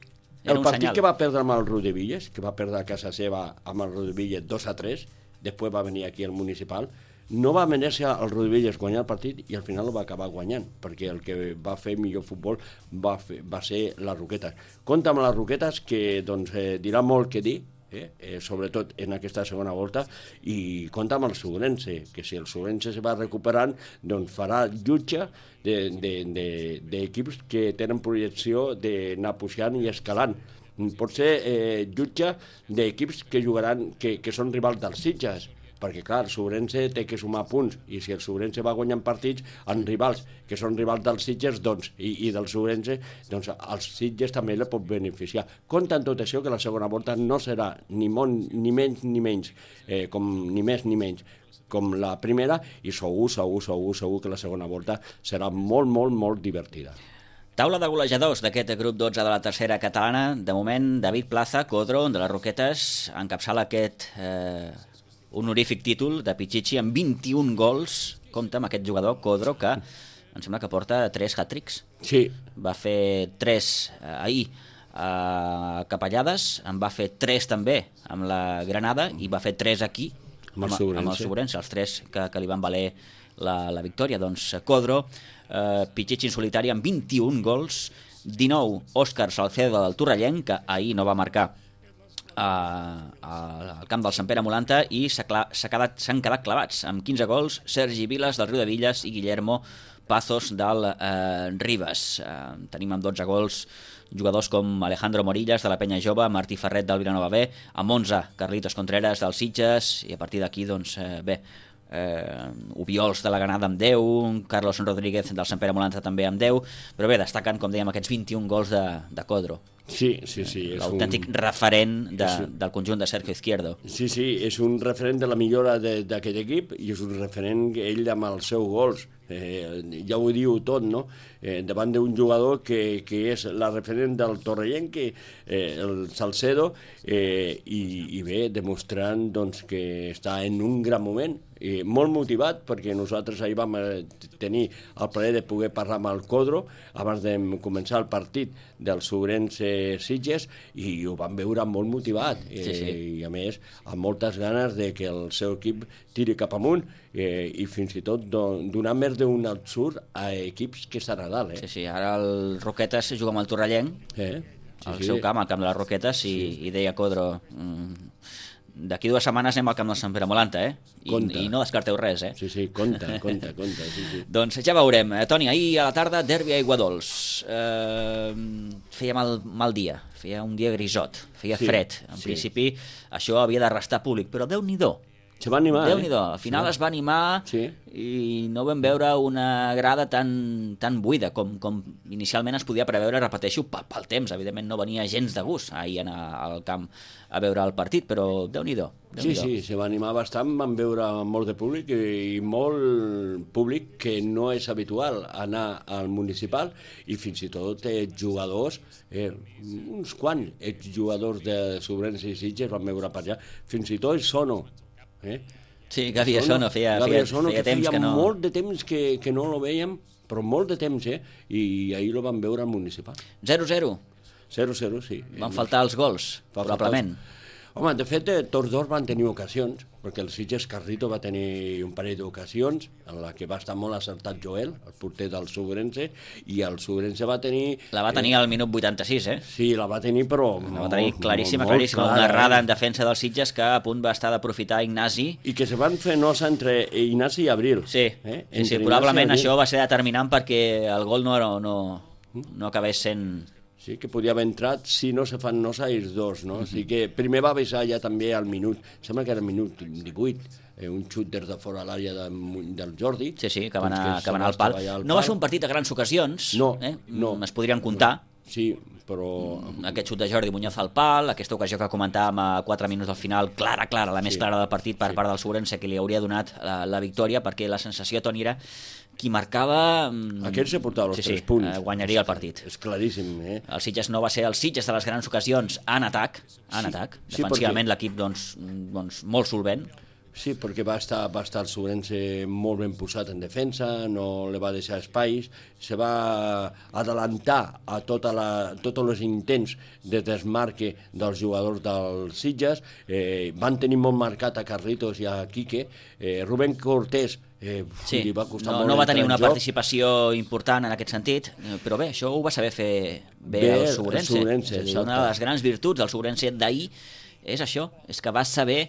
Era el un partit senyal. que va perdre amb el Rodevilles, que va perdre a casa seva amb el Rodevilles dos a tres, després va venir aquí al Municipal, no va mereixer el Rodevilles guanyar el partit i al final el va acabar guanyant, perquè el que va fer millor futbol va, fer, va ser les Roquetes. Compte amb les Roquetes, que doncs, eh, dirà molt que dir, eh? Eh, sobretot en aquesta segona volta, i compta amb el Segurense, que si el Segurense se va recuperant, doncs farà jutge d'equips de, de, de que tenen projecció d'anar pujant i escalant. Pot ser eh, jutge d'equips que jugaran, que, que són rivals dels Sitges, perquè clar, el Segurense té que sumar punts, i si el Segurense va guanyant partits en rivals que són rivals dels Sitges, doncs, i, i del Segurense, doncs els Sitges també la pot beneficiar. Compte en tot això que la segona volta no serà ni, molt, ni menys ni menys, eh, com, ni més ni menys, com la primera, i segur, segur, segur, segur que la segona volta serà molt, molt, molt divertida. Taula de golejadors d'aquest grup dotze de la tercera catalana. De moment, David Plaza, Codro, de les Roquetes, encapçala aquest eh, honorífic títol de Pichichi amb vint-i-un gols. Compte amb aquest jugador, Codro, que em sembla que porta tres hat-tricks. Sí. Va fer tres eh, ahir a Capellades, en va fer tres també amb la Granada i va fer tres aquí amb el Segurense, amb el Segurense els tres que, que li van valer la, la victòria. Doncs Codro, eh, Pichichi en solitari amb vint-i-un gols, dinou Òscar Salcedo del Torrellenc, que ahir no va marcar al camp del Sant Pere Molanta, i s'han quedat clavats amb quinze gols Sergi Vilas del Riudevilles i Guillermo Pazos del eh, Ribes. Eh, tenim amb dotze gols jugadors com Alejandro Morillas de la Penya Jove, Martí Ferret del Vilanova B, amb onze Carlitos Contreras dels Sitges, i a partir d'aquí, doncs, eh, bé, eh, Ubiols de la Granada amb deu, Carlos Rodríguez del Sant Pere Molanta també amb deu, però bé, destaquen, com dèiem, aquests vint-i-un gols de, de Codro. Sí, sí, sí. L'autèntic un... referent de, un... del conjunt de Sergio Izquierdo. Sí, sí, és un referent de la millora d'aquest equip i és un referent ell amb els seus gols. Eh, ja ho diu tot, no? Eh, davant d'un jugador que, que és la referent del Torrellenc, eh, el Salcedo, eh, i, i bé, demostrant doncs, que està en un gran moment, eh, molt motivat, perquè nosaltres ahir vam tenir el plaer de poder parlar amb el Codro abans de començar el partit del Segurense Sitges, i ho vam veure molt motivat, eh, sí, sí. i a més amb moltes ganes de que el seu equip tiri cap amunt, eh, i fins i tot donar més d'un absurd a equips que estan a dalt. Eh? Sí, sí, ara el Roquetes juga amb el Torrellenc, eh? sí, al sí. seu camp, al camp de les Roquetes, i, sí. i deia Codro, mm, d'aquí dues setmanes anem al camp del Sant Pere Molanta, eh? I, i no descarteu res, eh? Sí, sí, compte, compte, compte. Sí, sí. Doncs ja veurem. Eh, Toni, ahir a la tarda, derbi a Aiguadols. Eh, feia mal, mal dia, feia un dia grisot, feia sí, fred. En sí. principi això havia de restar públic, però Déu-n'hi-do. Se va animar, Déu-n'hi-do. eh? Al final sí. es va animar sí. i no vam veure una grada tan, tan buida com, com inicialment es podia preveure, repeteixo, pel temps. Evidentment no venia gens de gust ahir anar al camp a veure el partit, però Déu-n'hi-do. Sí, sí, se va animar bastant, van veure molt de públic i molt públic que no és habitual anar al municipal, i fins i tot eh, jugadors, eh, uns quants exjugadors de Segurense i Sitges van veure per allà, fins i tot Sono. Eh? Sí, Gavi Sono, feia, feia, feia, feia temps feia que no... molt de temps que, que no lo veiem, però molt de temps, eh? I ahir lo van veure al municipal. zero zero? zero zero, sí. Van faltar els gols, probablement. Home, de fet, eh, tots dos van tenir ocasions, perquè el Sitges Carrito va tenir un parell d'ocasions, en la que va estar molt acertat Joel, el porter del Segurense, i el Segurense va tenir... La va tenir eh... al minut vuitanta-sis, eh? Sí, la va tenir, però... La va tenir claríssima, molt, claríssima. molt una errada eh? en defensa del Sitges que a punt va estar d'aprofitar Ignasi. I que se van fer nosa entre Ignasi i Abril. Sí, eh? sí, sí probablement això va ser determinant perquè el gol no, no, no acabés sent... Sí, que podia haver entrat si no se fan nosa ells dos, no? Mm -hmm. O sigui que primer va avisar ja també al minut, sembla que era el minut divuit, eh, un xut des de fora a l'àrea de, del Jordi. Sí, sí, que va anar, que va anar al pal. al no pal. va ser un partit de grans ocasions, no, eh? no. es podrien comptar. Sí, però... Aquest xut de Jordi Muñoz al pal, aquesta ocasió que comentàvem a quatre minuts del final, clara, clara, la més sí. clara del partit per sí. part del Segurense, que li hauria donat la, la victòria, perquè la sensació, Toni, era qui marcava... Aquell se portava els sí, tres sí, punts. guanyaria el partit. És claríssim, eh? El Sitges no va ser el Sitges de les grans ocasions en atac, en Sí, atac. sí, Defensivament perquè- l'equip doncs, doncs, molt solvent. Sí, perquè va estar, va estar el Sobrense molt ben posat en defensa, no li va deixar espais, se va adelantar a tota la, tots els intents de desmarque dels jugadors dels Sitges, eh, van tenir molt marcat a Carlitos i a Quique, eh, Rubén Cortés eh, Sí, li va costar no, molt no va entrar tenir en una joc. participació important en aquest sentit, eh, però bé, això ho va saber fer bé, Bé el el Sobrense. Sobrense, És a dir, exacte. una de les grans virtuts del Sobrense d'ahir és això, és que va saber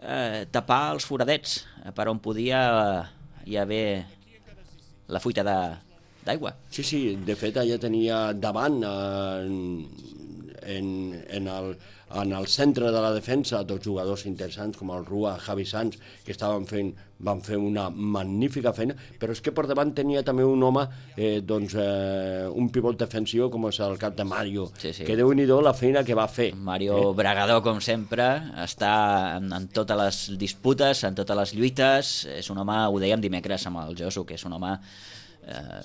eh, tapar els foradets eh, per on podia eh, hi haver la fuita de- d'aigua. Sí, sí, de fet allà tenia davant eh, en, en, el, en el centre de la defensa dos jugadors interessants com el Rua, Javi Sanz, que estaven fent, van fer una magnífica feina, però és que per davant tenia també un home, eh, doncs, eh, un pivot defensiu com és el cap de Mario, Sí, sí. que déu-n'hi-do la feina que va fer. Mario eh? Bragador, com sempre, està en, en totes les disputes, en totes les lluites. És un home, ho dèiem dimecres amb el Josu, que és un home... Eh,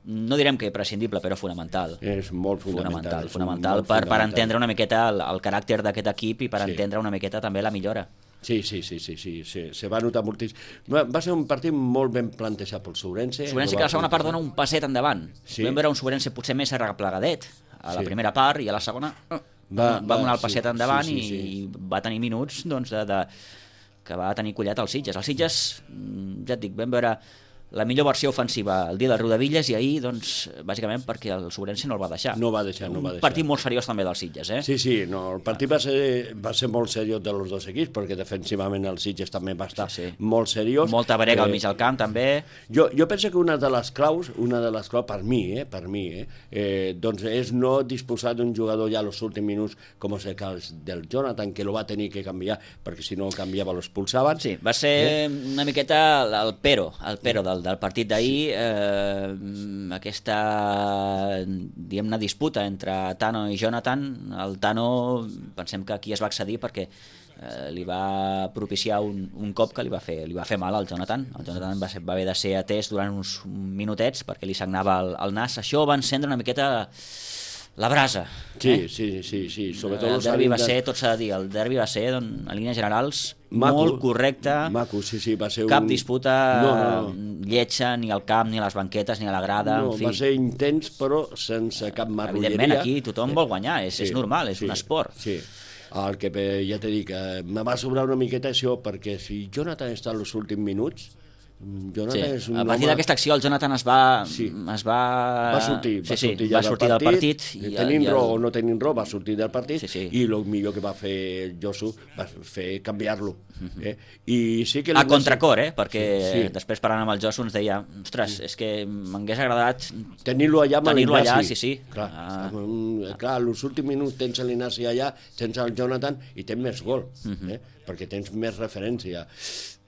no direm que prescindible, però fonamental. És molt fonamental. Fonamental, és fonamental molt per, per fonamental. entendre una miqueta el, el caràcter d'aquest equip i per Sí. entendre una miqueta també la millora. Sí, sí, sí, sí, sí, sí, se va notar moltíssim. Va, va ser un partit molt ben plantejat pel Sobrense. Sobrense que a la segona part dona un passet endavant. Sí. Vam veure un Sobrense potser més arreplegadet a la Sí. primera part i a la segona va, Va- va, va, donar el sí, passet endavant sí, sí, sí. i va tenir minuts doncs, de, de, que va tenir collet al Sitges. El Sitges, mm, ja et dic, vam veure la millor versió ofensiva el dia del Rodavilles i ahir, doncs, bàsicament perquè el Sobrense no el va deixar. No va deixar, no va Un deixar. partit molt seriós també del Sitges, eh? Sí, sí, no, el partit va ser, va ser molt seriós de los dos equips, perquè defensivament el Sitges també va estar sí, sí. molt seriós. Molta brega Eh, al mig del camp, també. Jo, jo penso que una de les claus, una de les claus per mi, eh, per mi, eh, eh, doncs és no disposar d'un jugador ja als últims minuts, com és el cas del Jonathan, que lo va tenir que canviar, perquè si no canviava l'expulsaven. Sí, va ser eh? una miqueta el, el pero, el pero del, del partit d'ahir, eh, aquesta, diguem-ne, disputa entre Tano i Jonathan. El Tano, pensem que aquí es va accedir perquè eh, li va propiciar un, un cop que li va fer, li va fer mal al Jonathan. El Jonathan va, ser, va haver de ser atès durant uns minutets perquè li sagnava el, el nas. Això va encendre una miqueta la brasa. Sí, eh? sí, sí, sí. Sobretot El els derbi va àrbitres- ser, tot s'ha de dir, el derbi va ser, doncs, en línies generals, Maco, molt correcte. Maco, sí, sí, va ser Cap un... disputa no, no, no. lletja, ni al camp, ni a les banquetes, ni a la grada, No, en fi. va ser intens, però sense cap marrulleria. Evidentment, aquí tothom vol guanyar, és, és normal, és sí, un esport. Sí. El que eh, ja t'he dit, que me va sobrar una miqueta això, perquè si Jonathan està als últims minuts, Jonathan Sí. és un A partir home... d'aquesta acció el Jonathan es va... Sí. Es va... Va sortir, va sí, sortir, sí, ja va sortir del partit. I, i- tenint i el- raó o no tenint raó, va sortir del partit, Sí, sí. i el millor que va fer Josu va fer canviar-lo. Eh? I sí que li A va contracor, ser- eh? Perquè Sí, sí. després parlant amb el Josu ens deia ostres, és que m'hagués agradat tenir-lo allà amb tenir-lo allà, l'Ignasi. sí, sí. Clar, Ah. um, clar, als últims minuts tens l'Ignasi allà, tens el Jonathan i tens més gol, Mhm. eh? perquè tens més referència.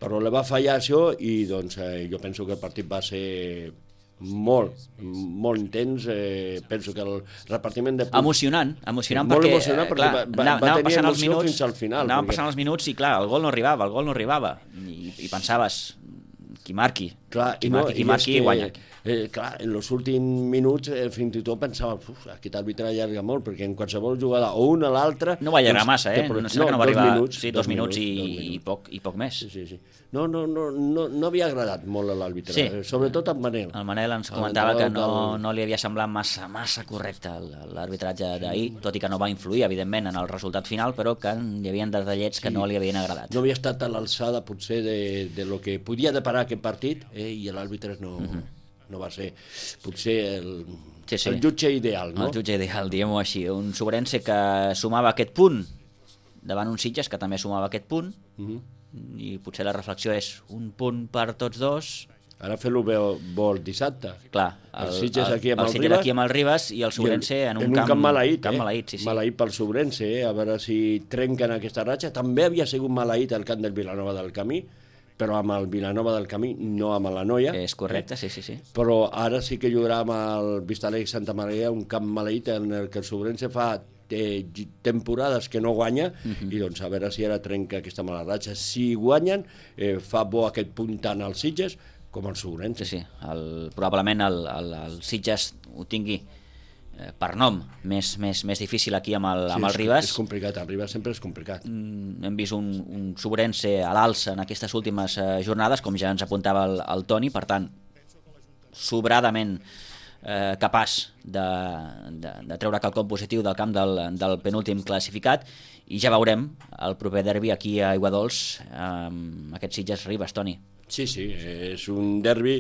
Però le va fallar això i doncs eh, jo penso que el partit va ser molt, molt intens. Eh, penso que el repartiment de punts... Emocionant, emocionant molt perquè, emocionant eh, perquè clar, va, va, anava- va anava tenir passant els emoció minuts, fins al final. Anaven perquè- passant els minuts i clar, el gol no arribava, el gol no arribava i, i pensaves, qui marqui, Clar, qui i no, marqui, qui i marqui és que, guanya. Eh, clar, en els últims minuts eh, fins i tot pensava, uf, aquest àrbitre allarga molt, perquè en qualsevol jugada, o una o l'altra... No va allargar doncs, massa, eh? té pro- No, no, que no va dos arribar... minuts, sí, dos, minuts, i, dos i, minuts. poc, i poc més. Sí, sí, sí. No, no, no, no, no havia agradat molt a l'àrbitre, Sí. eh, sobretot en Manel. El Manel ens El comentava que no, entrenador no li havia semblat massa massa correcte el- l'arbitratge d'ahir, tot i que no va influir, evidentment, en el resultat final, però que hi havia detallets que Sí. no li havien agradat. No havia estat a l'alçada, potser, de, de lo que podia deparar aquest partit, eh, i l'àrbitre no, no va ser, potser, el, Sí, sí. el jutge ideal, no? El jutge ideal, diguem-ho així. Un Sobrense que sumava aquest punt davant un Sitges que també sumava aquest punt, Mhm. i potser la reflexió és un punt per tots dos. Ara fer-lo bé bo el dissabte. Clar, el, el Sitges aquí amb el el, Sitges Ribas aquí amb el Ribas i el Sobrense en un, en un camp, camp maleït, camp eh? maleït, sí, sí. Maleït pel Sobrense, eh? A veure si trenquen aquesta ratxa. També havia sigut maleït el camp del Vilanova del Camí, però amb el Vilanova del Camí, no amb la Noia. És correcte, sí, sí, sí. Però ara sí que jugarà amb el Vistalegre Santa Maria, un camp maleït en el que el Sobrense fa eh, temporades que no guanya, Mhm. i doncs a veure si ara trenca aquesta mala ratxa. Si guanyen, eh, fa bo aquest punt tant als Sitges com el Sobrense. Sí, sí. El, probablement el, el, el Sitges ho tingui eh, per nom més, més, més difícil aquí amb el, Sí, amb el és, Ribas. és complicat, el Ribas sempre és complicat. Mm, hem vist un, un Sobrense a l'alça en aquestes últimes eh, jornades, com ja ens apuntava el, el Toni, per tant, sobradament eh, capaç de, de, de treure quelcom positiu del camp del, del penúltim classificat, i ja veurem el proper derbi aquí a Aiguadols amb aquest Sitges-Ribas, Toni. Sí, sí, és un derbi,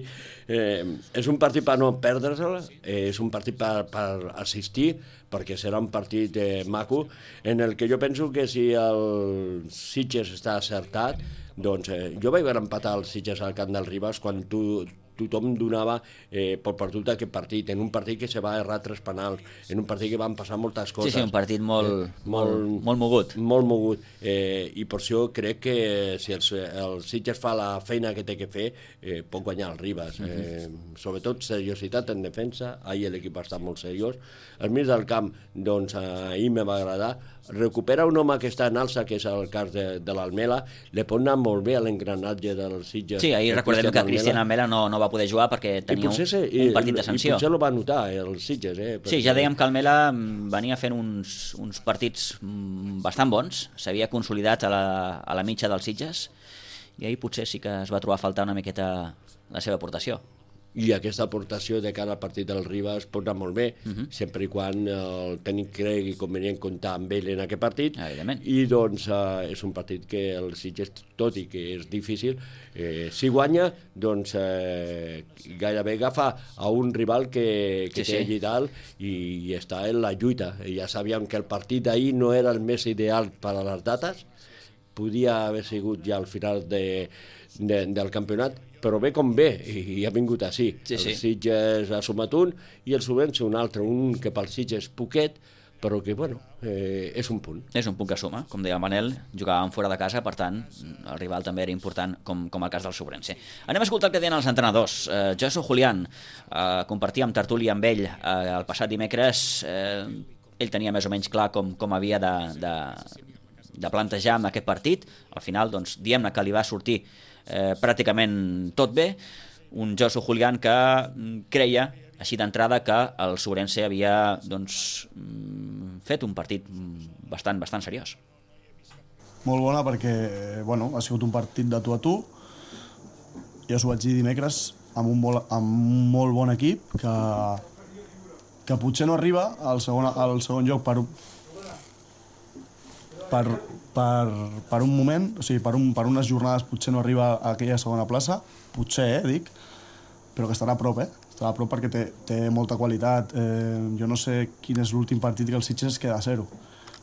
eh, és un partit per no perdre'l, eh, és un partit per, per assistir, perquè serà un partit eh, maco, en el que jo penso que si el Sitges està acertat, doncs eh, jo vaig veure empatar el Sitges al camp del Ribas quan tu, tothom donava eh, per perdut aquest partit, en un partit que se va errar tres penals, en un partit que van passar moltes coses. Sí, sí, un partit molt, eh, molt, molt mogut. Molt mogut, eh, i per això crec que si el, el Sitges fa la feina que té que fer, eh, pot guanyar el Ribas. Mhm. Eh, sobretot seriositat en defensa, ahir l'equip ha estat molt seriós. Al mig del camp, doncs, ahir me va agradar. Recupera un home que està en alça, que és el cas de, de l'Almela, li pot anar molt bé a l'engranatge del Sitges. Sí, ahir recordem que Cristian Almela no, no va poder jugar perquè tenia un, se, un partit de sanció. I potser lo va notar, el Sitges. Eh, sí, ja dèiem que Almela venia fent uns, uns partits bastant bons, s'havia consolidat a la, a la mitja dels Sitges, i ahir potser sí que es va trobar a faltar una miqueta la seva aportació. I aquesta aportació de cara al partit del Ribas pot anar molt bé, uh -huh. sempre i quan el tècnic cregui convenient comptar amb ell en aquest partit. Evidentment. I doncs eh, és un partit que el Sitges, tot i que és difícil, eh, si guanya, doncs eh, gairebé agafa a un rival que, que Sí, té sí. allí dalt i, i està en la lluita. I ja sabíem que el partit d'ahir no era el més ideal per a les dates, podia haver sigut ja al final de, de, del campionat, però bé com bé, i, i ha vingut així. Sí, sí. El Sitges ha sumat un i el Sobrense un altre, un que pel Sitges poquet, però que, bueno, eh, és un punt. És un punt que suma, com deia el Manel, jugàvem fora de casa, per tant, el rival també era important, com, com el cas del Sobrense. Anem a escoltar el que deien els entrenadors. Eh, Josu Julián, eh, compartíem tertúlia amb ell eh, el passat dimecres, eh, ell tenia més o menys clar com, com havia de, de, de plantejar amb aquest partit. Al final, doncs, diem-ne que li va sortir eh, pràcticament tot bé. Un Josu Julián que mm, creia, així d'entrada, que el Sobrense havia doncs, mm, fet un partit mm, bastant, bastant seriós. Molt bona perquè bueno, ha sigut un partit de tu a tu. Ja us ho vaig dir dimecres, amb un molt, amb un molt bon equip que, que potser no arriba al segon, al segon lloc per, per, per, per un moment, o sigui, per, un, per unes jornades potser no arriba a aquella segona plaça, potser, eh, dic, però que estarà a prop, eh? Estarà a prop perquè té, té molta qualitat. Eh, jo no sé quin és l'últim partit que el Sitges es queda a zero.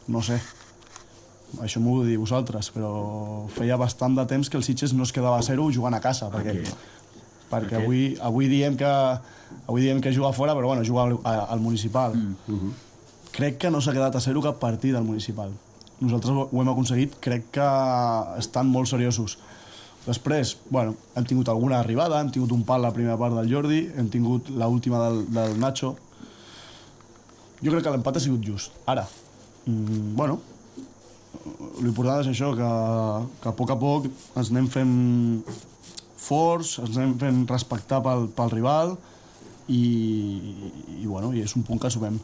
No sé. Això m'ho heu de dir vosaltres, però feia bastant de temps que el Sitges no es quedava a zero jugant a casa, perquè, perquè Okay. avui, avui diem que avui diem que juga fora, però bueno, juga al, al municipal. Mm. Uh-huh. Crec que no s'ha quedat a zero cap partit al municipal. Nosaltres ho ho hem aconseguit, crec que estan molt seriosos. Després, bueno, hem tingut alguna arribada, hem tingut un pal la primera part del Jordi, hem tingut l'última del, del Nacho. Jo crec que l'empat ha sigut just. Ara, mm, bueno, l'important és això, que, que a poc a poc ens anem fent forts, ens anem fent respectar pel, pel rival i, i, bueno, i és un punt que subem.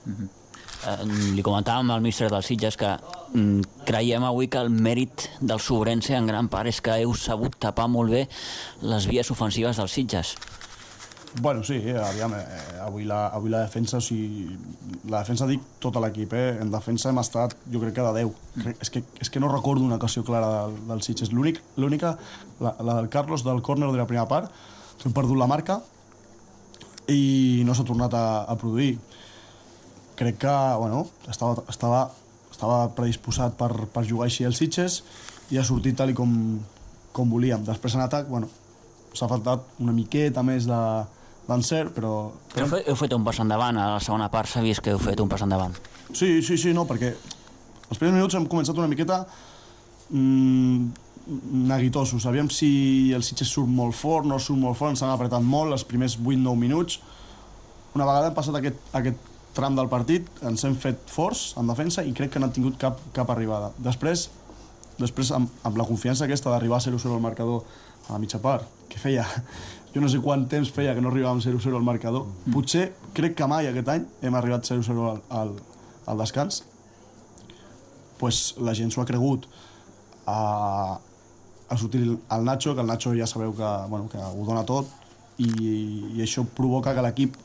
Mm-hmm. Eh, li comentàvem al míster del Sitges que mm, creiem avui que el mèrit del Sobrense en gran part és que heu sabut tapar molt bé les vies ofensives dels Sitges. Bueno, sí, eh, aviam, eh, avui, la, avui la defensa, o sigui, la defensa dic tot l'equip, eh? En defensa hem estat, jo crec que de deu. Crec, és, que, és que no recordo una ocasió clara del, del Sitges. L'únic, l'única, la, la del Carlos del córner de la primera part, que hem perdut la marca i no s'ha tornat a, a produir. Crec que, bueno, estava, estava, estava predisposat per, per jugar així el Sitges i ha sortit tal i com, com volíem. Després en atac, bueno, s'ha faltat una miqueta més de, d'encert, però... però... Heu, fet, heu fet un pas endavant, a la segona part s'ha vist que heu fet un pas endavant. Sí, sí, sí, no, perquè els primers minuts hem començat una miqueta mmm, neguitosos. Sabíem si el Sitges surt molt fort, no surt molt fort, ens han apretat molt els primers vuit nou minuts. Una vegada hem passat aquest, aquest tram del partit, ens hem fet forts en defensa i crec que no han tingut cap, cap arribada. Després, després amb, amb la confiança aquesta d'arribar a zero zero al marcador a la mitja part, que feia, jo no sé quant temps feia que no arribàvem zero zero al marcador. Mm. Potser, crec que mai aquest any hem arribat zero zero al, al, al descans. Pues la gent s'ho ha cregut. A, a sortir el Nacho, que el Nacho ja sabeu que, bueno, que ho dona tot, i, i això provoca que l'equip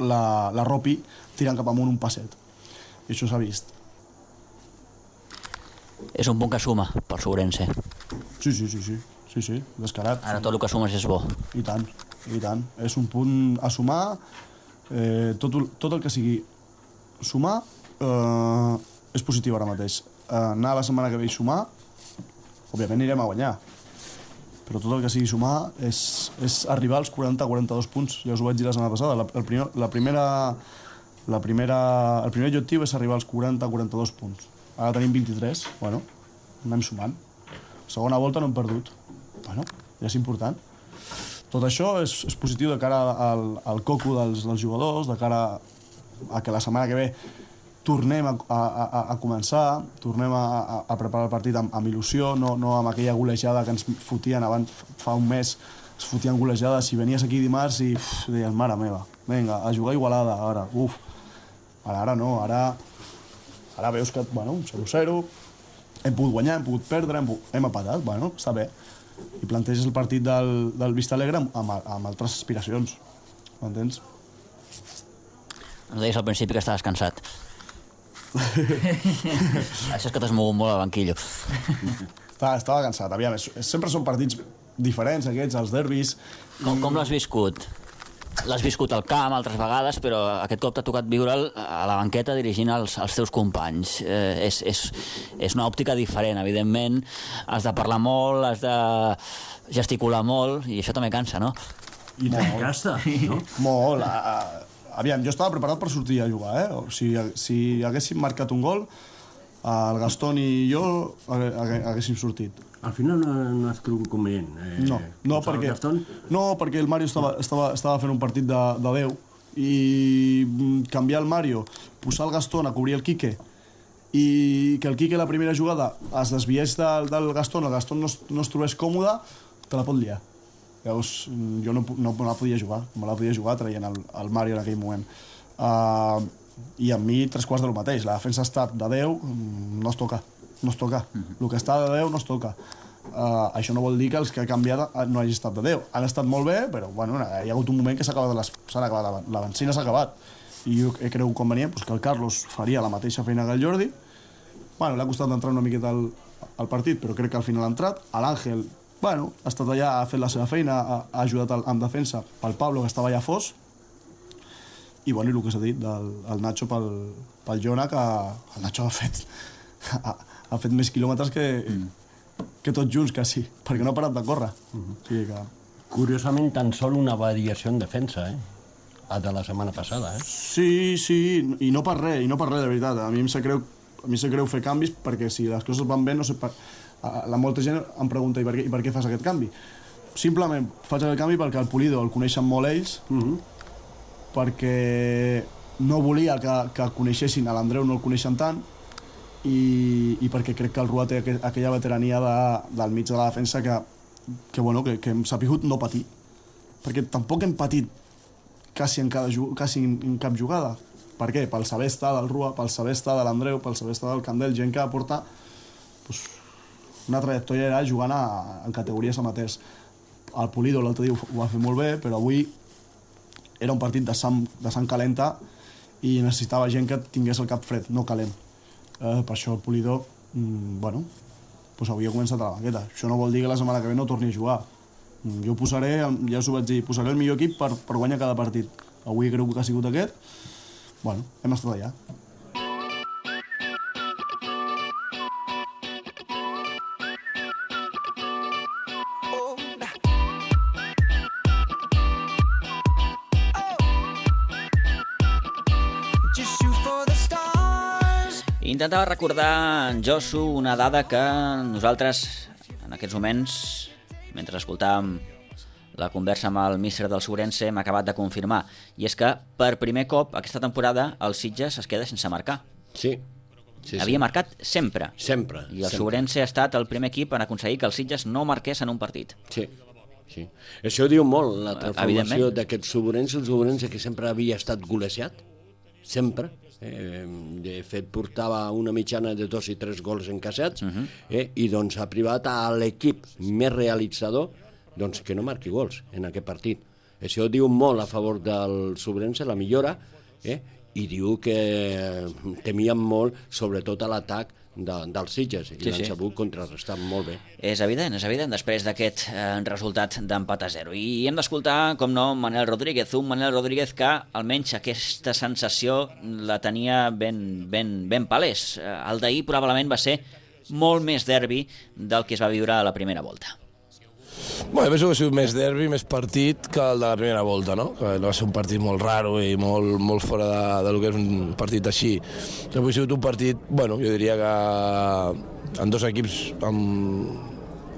la, la ropi tirant cap amunt un passet. I això s'ha vist. És un punt que suma pel Sobrense. Sí, sí, sí, sí, sí, sí, descarat. Ara tot el que sumes és bo. I tant, i tant. És un punt a sumar, eh, tot, tot el que sigui sumar eh, és positiu ara mateix. Eh, anar la setmana que ve i sumar, òbviament anirem a guanyar, però tot el que sigui sumar és, és arribar als quaranta a quaranta-dos punts. Ja us ho vaig dir la setmana passada. La, el, primer, la primera, la primera, el primer objectiu és arribar als quaranta a quaranta-dos punts. Ara tenim vint-i-tres, bueno, anem sumant. Segona volta no hem perdut. Bueno, ja és important. Tot això és, és positiu de cara al, al coco dels, dels jugadors, de cara a que la setmana que ve tornem a, a, a, a començar, tornem a, a, a preparar el partit amb, amb il·lusió, no, no amb aquella golejada que ens fotien abans, fa un mes, es fotien golejades. Si venies aquí dimarts i uf, deies, mare meva, vinga, a jugar Igualada, ara, uf. Ara, ara no, ara... Ara veus que, bueno, zero zero, hem pogut guanyar, hem pogut perdre, hem, hem empatat, bueno, està bé. I planteges el partit del, del Vista Alegre amb, amb altres aspiracions, m'entens? Ens deies al principi que estaves cansat. Això és que t'has mogut molt al banquillo. Estava, estava cansat, aviam, sempre són partits diferents aquests, els derbis. Com, com l'has viscut? L'has viscut al camp altres vegades, però aquest cop t'ha tocat viure'l a la banqueta dirigint els, els teus companys. Eh, és, és, és una òptica diferent, evidentment. Has de parlar molt, has de gesticular molt, i això també cansa, no? I tant gasta, no? Molt. A, a, aviam, jo estava preparat per sortir a jugar, eh? O si, si haguéssim marcat un gol, el Gastón i jo haguéssim sortit. Al final no, no has cregut convenient. Eh, no, no perquè, no, perquè el Mario estava, estava, estava fent un partit de, de Déu i canviar el Mario, posar el Gastón a cobrir el Quique i que el Quique la primera jugada es desviés del, del Gastón, el Gastón no es, no es trobés còmode, te la pot liar. Llavors, jo no, no, no la podia jugar, no la podia jugar traient el, el Mario en aquell moment. Uh, I amb mi tres quarts del mateix. La defensa ha estat de Déu, no es toca. no es toca. Uh-huh. El que està de Déu no es toca. Uh, això no vol dir que els que ha canviat no hagi estat de Déu. Han estat molt bé, però bueno, hi ha hagut un moment que s'ha acabat, les, acabat la benzina s'ha acabat. I jo he cregut convenient pues, que el Carlos faria la mateixa feina que el Jordi. Bueno, l'ha costat entrar una miqueta al, al partit, però crec que al final ha entrat. L'Àngel, bueno, ha estat allà, ha fet la seva feina, ha, ha ajudat al, amb defensa pel Pablo, que estava allà fos. I bueno, i el que s'ha dit del el Nacho pel, pel Jona, que el Nacho ha fet... Ha, ha fet més quilòmetres que, mm. que tots junts, quasi, perquè no ha parat de córrer. Mm-hmm. O sigui que... Curiosament, tan sol una variació en defensa, eh? A de la setmana passada, eh? Sí, sí, i no per res, i no per res, de veritat. A mi em sap greu, a mi em sap greu fer canvis, perquè si les coses van bé, no sé... Per... La molta gent em pregunta, i per què, i per què fas aquest canvi? Simplement faig aquest canvi perquè el Pulido el coneixen molt ells, mm-hmm. perquè no volia que, que coneixessin, a l'Andreu no el coneixen tant, I, i perquè crec que el Rua té aqu aquella veterania de, del mig de la defensa que, que, bueno, que, que hem sapigut no patir, perquè tampoc hem patit quasi en, cada, quasi en, en cap jugada. Per què? Pel saber estar del Rua, pel saber estar de l'Andreu, pel saber estar del Candel, gent que aporta pues, una trajectòria jugant a, en categories amateurs. El Pulido l'altre dia ho, ho va fer molt bé, però avui era un partit de sang, de sang calenta i necessitava gent que tingués el cap fred, no calent. Eh, per això el Pulido, mm, bueno, pues avui ha començat a la banqueta. Això no vol dir que la setmana que ve no torni a jugar. Mm, jo posaré, ja us ho vaig dir, posaré el millor equip per, per guanyar cada partit. Avui crec que ha sigut aquest. Bueno, hem estat allà. Intentava recordar, en Josu, una dada que nosaltres, en aquests moments, mentre escoltàvem la conversa amb el míster del Sobrense, hem acabat de confirmar. I és que, per primer cop, aquesta temporada, el Sitges es queda sense marcar. Sí. sí Havia sí. marcat sempre. Sempre. I el sempre. Sobrense ha estat el primer equip en aconseguir que el Sitges no marqués en un partit. Sí. sí. Això diu molt, la transformació d'aquest Sobrense, el Sobrense que sempre havia estat golejat, sempre. Eh, de fet, portava una mitjana de dos i tres gols encaixats, uh-huh. eh, i doncs ha privat a l'equip més realitzador doncs, que no marqui gols en aquest partit. Això diu molt a favor del Sobrense, la millora, eh, i diu que temien molt, sobretot a l'atac de, dels Sitges, i sí, l'han sí. sabut contrarrestar molt bé. És evident, és evident, després d'aquest eh, resultat d'empat a zero. I hem d'escoltar, com no, Manel Rodríguez, un Manel Rodríguez que almenys aquesta sensació la tenia ben, ben, ben palès. El d'ahir probablement va ser molt més derbi del que es va viure a la primera volta. Bueno, penso que ha sigut més derbi, més partit que el de la primera volta, no? Que va ser un partit molt raro i molt, molt fora de, de lo que és un partit així. Però ha sigut un partit, bueno, jo diria que en dos equips amb,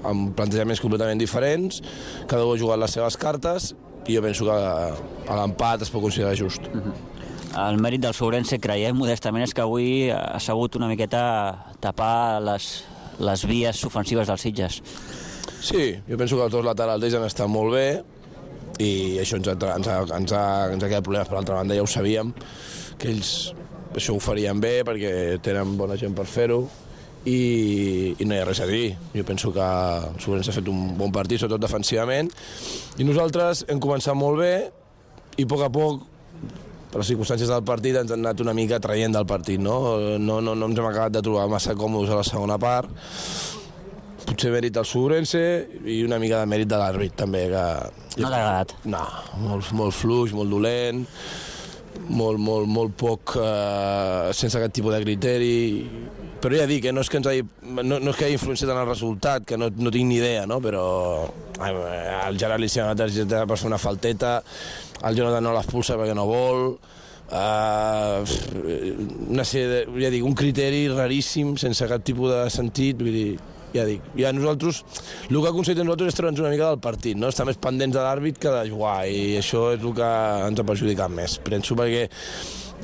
amb plantejaments completament diferents, cada un ha jugat les seves cartes i jo penso que a l'empat es pot considerar just. Uh-huh. El mèrit del Sobrense, creiem modestament, és que avui ha sabut una miqueta tapar les, les vies ofensives dels Sitges. Sí, jo penso que els dos laterals d'ells han estat molt bé i això ens ha, ens ha, ens ha, ens ha quedat problemes. Per l'altra banda ja ho sabíem, que ells això ho farien bé perquè tenen bona gent per fer-ho i, i no hi ha res a dir. Jo penso que el Sobrense ha fet un bon partit, sobretot defensivament, i nosaltres hem començat molt bé i a poc a poc, per les circumstàncies del partit, ens han anat una mica traient del partit, no? No, no, no ens hem acabat de trobar massa còmodes a la segona part. Potser mèrit del Sobrense i una mica de mèrit de l'àrbit, també. Que... No t'ha agradat? No, molt, molt fluix, molt dolent, molt, molt, molt poc, eh, sense aquest tipus de criteri. Però ja dic, eh, no, és que ens hagi, no, no és que hagi influenciat en el resultat, que no, no tinc ni idea, no? Però eh, el Gerard li s'ha anat per fer una falteta, el Jonathan no l'expulsa perquè no vol, uh, una sèrie de, ja dic, un criteri raríssim, sense cap tipus de sentit, vull dir... Ja dic, ja nosaltres, el que aconseguim nosaltres és treure'ns una mica del partit, no? Estar més pendents de l'àrbit que de jugar, i això és el que ens ha perjudicat més. Penso perquè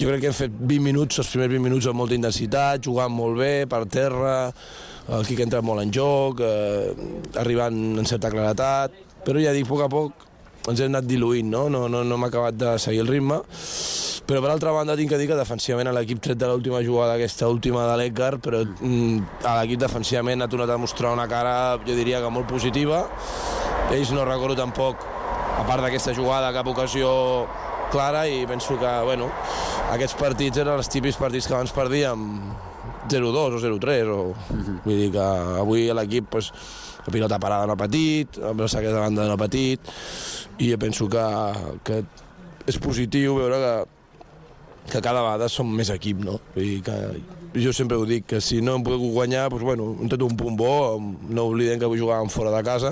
jo crec que hem fet vint minuts, els primers vint minuts amb molta intensitat, jugant molt bé, per terra, el Quique ha entrat molt en joc, eh, arribant en certa claretat, però ja dic, a poc a poc ens hem anat diluint, no? No, no, no hem acabat de seguir el ritme. Però per altra banda tinc que dir que defensivament a l'equip tret de l'última jugada, aquesta última de l'Edgar, però mm, a l'equip defensivament ha tornat a mostrar una cara, jo diria que molt positiva. Ells no recordo tampoc, a part d'aquesta jugada, cap ocasió clara, i penso que, bueno, aquests partits eren els típics partits que abans perdíem zero dos o zero tres, o... Uh-huh. Vull dir que avui a l'equip, pues, la pilota parada no ha patit, el sac de banda no ha patit, i jo penso que, que és positiu veure que que cada vegada som més equip, no? Vull dir que jo sempre ho dic, que si no hem pogut guanyar, doncs, bueno, hem tret un punt bo, no oblidem que jugàvem fora de casa,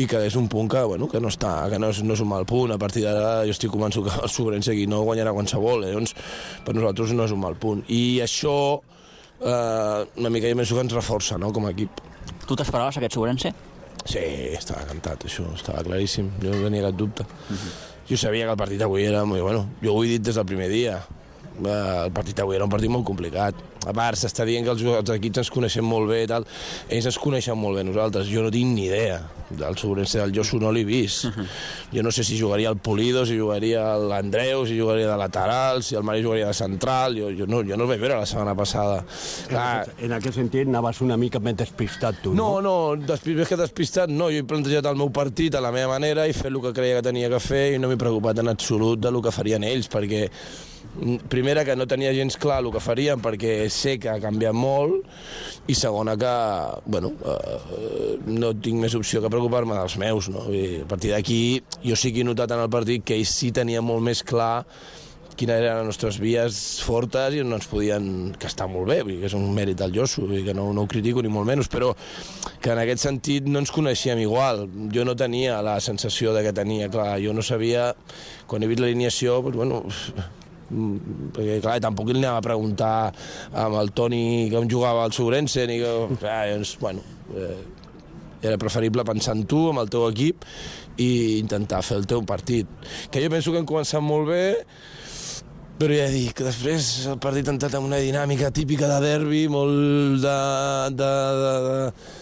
i que és un punt que, bueno, que no està, que no és, no és un mal punt. A partir d'ara jo estic convençut que el Sobrense aquí no guanyarà qualsevol, eh? Doncs per nosaltres no és un mal punt. I això, eh, una mica jo penso que ens reforça, no?, com a equip. Tu t'esperaves aquest Sobrense? Sí, estava cantat, això, estava claríssim, jo no tenia cap dubte. Uh-huh. Jo sabia que el partit avui era... Bueno, jo ho he dit des del primer dia. El partit avui era un partit molt complicat. A part, s'està dient que els, els equips ens coneixem molt bé i tal. Ells ens coneixen molt bé nosaltres. Jo no tinc ni idea del Sobrense del Josu, no l'he vist. Uh-huh. Jo no sé si jugaria al Polido, si jugaria a l'Andreu, si jugaria de lateral, si el Mari jugaria de central. Jo, jo, no, jo no el vaig veure la setmana passada. Clar, en aquest sentit anaves una mica més despistat tu, no? No, no, despist, més que despistat no. Jo he plantejat el meu partit a la meva manera i fet el que creia que tenia que fer i no m'he preocupat en absolut del que farien ells, perquè primera, que no tenia gens clar el que farien perquè sé que ha canviat molt, i segona, que bueno, eh, no tinc més opció que preocupar-me dels meus, no? I a partir d'aquí jo sí que he notat en el partit que ells sí tenien molt més clar quines eren les nostres vies fortes i no ens podien... que està molt bé, que és un mèrit del Josu, que no, no ho critico ni molt menys, però que en aquest sentit no ens coneixíem igual. Jo no tenia la sensació de que tenia clar, jo no sabia, quan he vist l'alineació, doncs, bueno, perquè clar, tampoc li anava a preguntar amb el Toni com jugava al Sobrense, ni que... Eh, doncs, bueno, eh, era preferible pensar en tu, amb el teu equip, i intentar fer el teu partit. Que jo penso que hem començat molt bé, però ja dic que després el partit ha entrat en una dinàmica típica de derbi, molt de, de, de,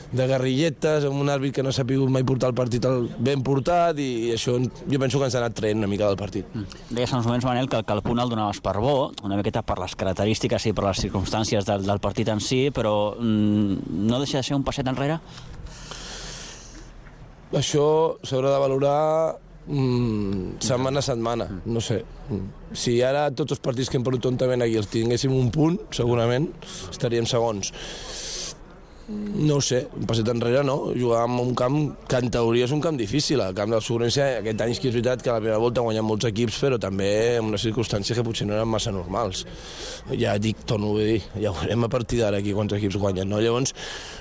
de guerrilletes, amb un àrbit que no s'ha pogut mai portar el partit ben portat, i això jo penso que ens ha anat traient una mica del partit. Mm. Deies en uns moments, Manel, que, que el punt el donaves per bo, una miqueta per les característiques i per les circumstàncies del, del partit en si, però mm, no deixa de ser un passet enrere? Això s'haurà de valorar mm, setmana a setmana, no sé. Si ara tots els partits que hem perdut tontament aquí els tinguéssim un punt, segurament estaríem segons. No ho sé, un passet enrere no, jugàvem en un camp que en teoria és un camp difícil, el camp del Sobrense aquest any que és veritat que a la primera volta han guanyat molts equips, però també en unes circumstàncies que potser no eren massa normals. Ja dic, torno a dir, ja veurem a partir d'ara aquí quants equips guanyen, no? Llavors,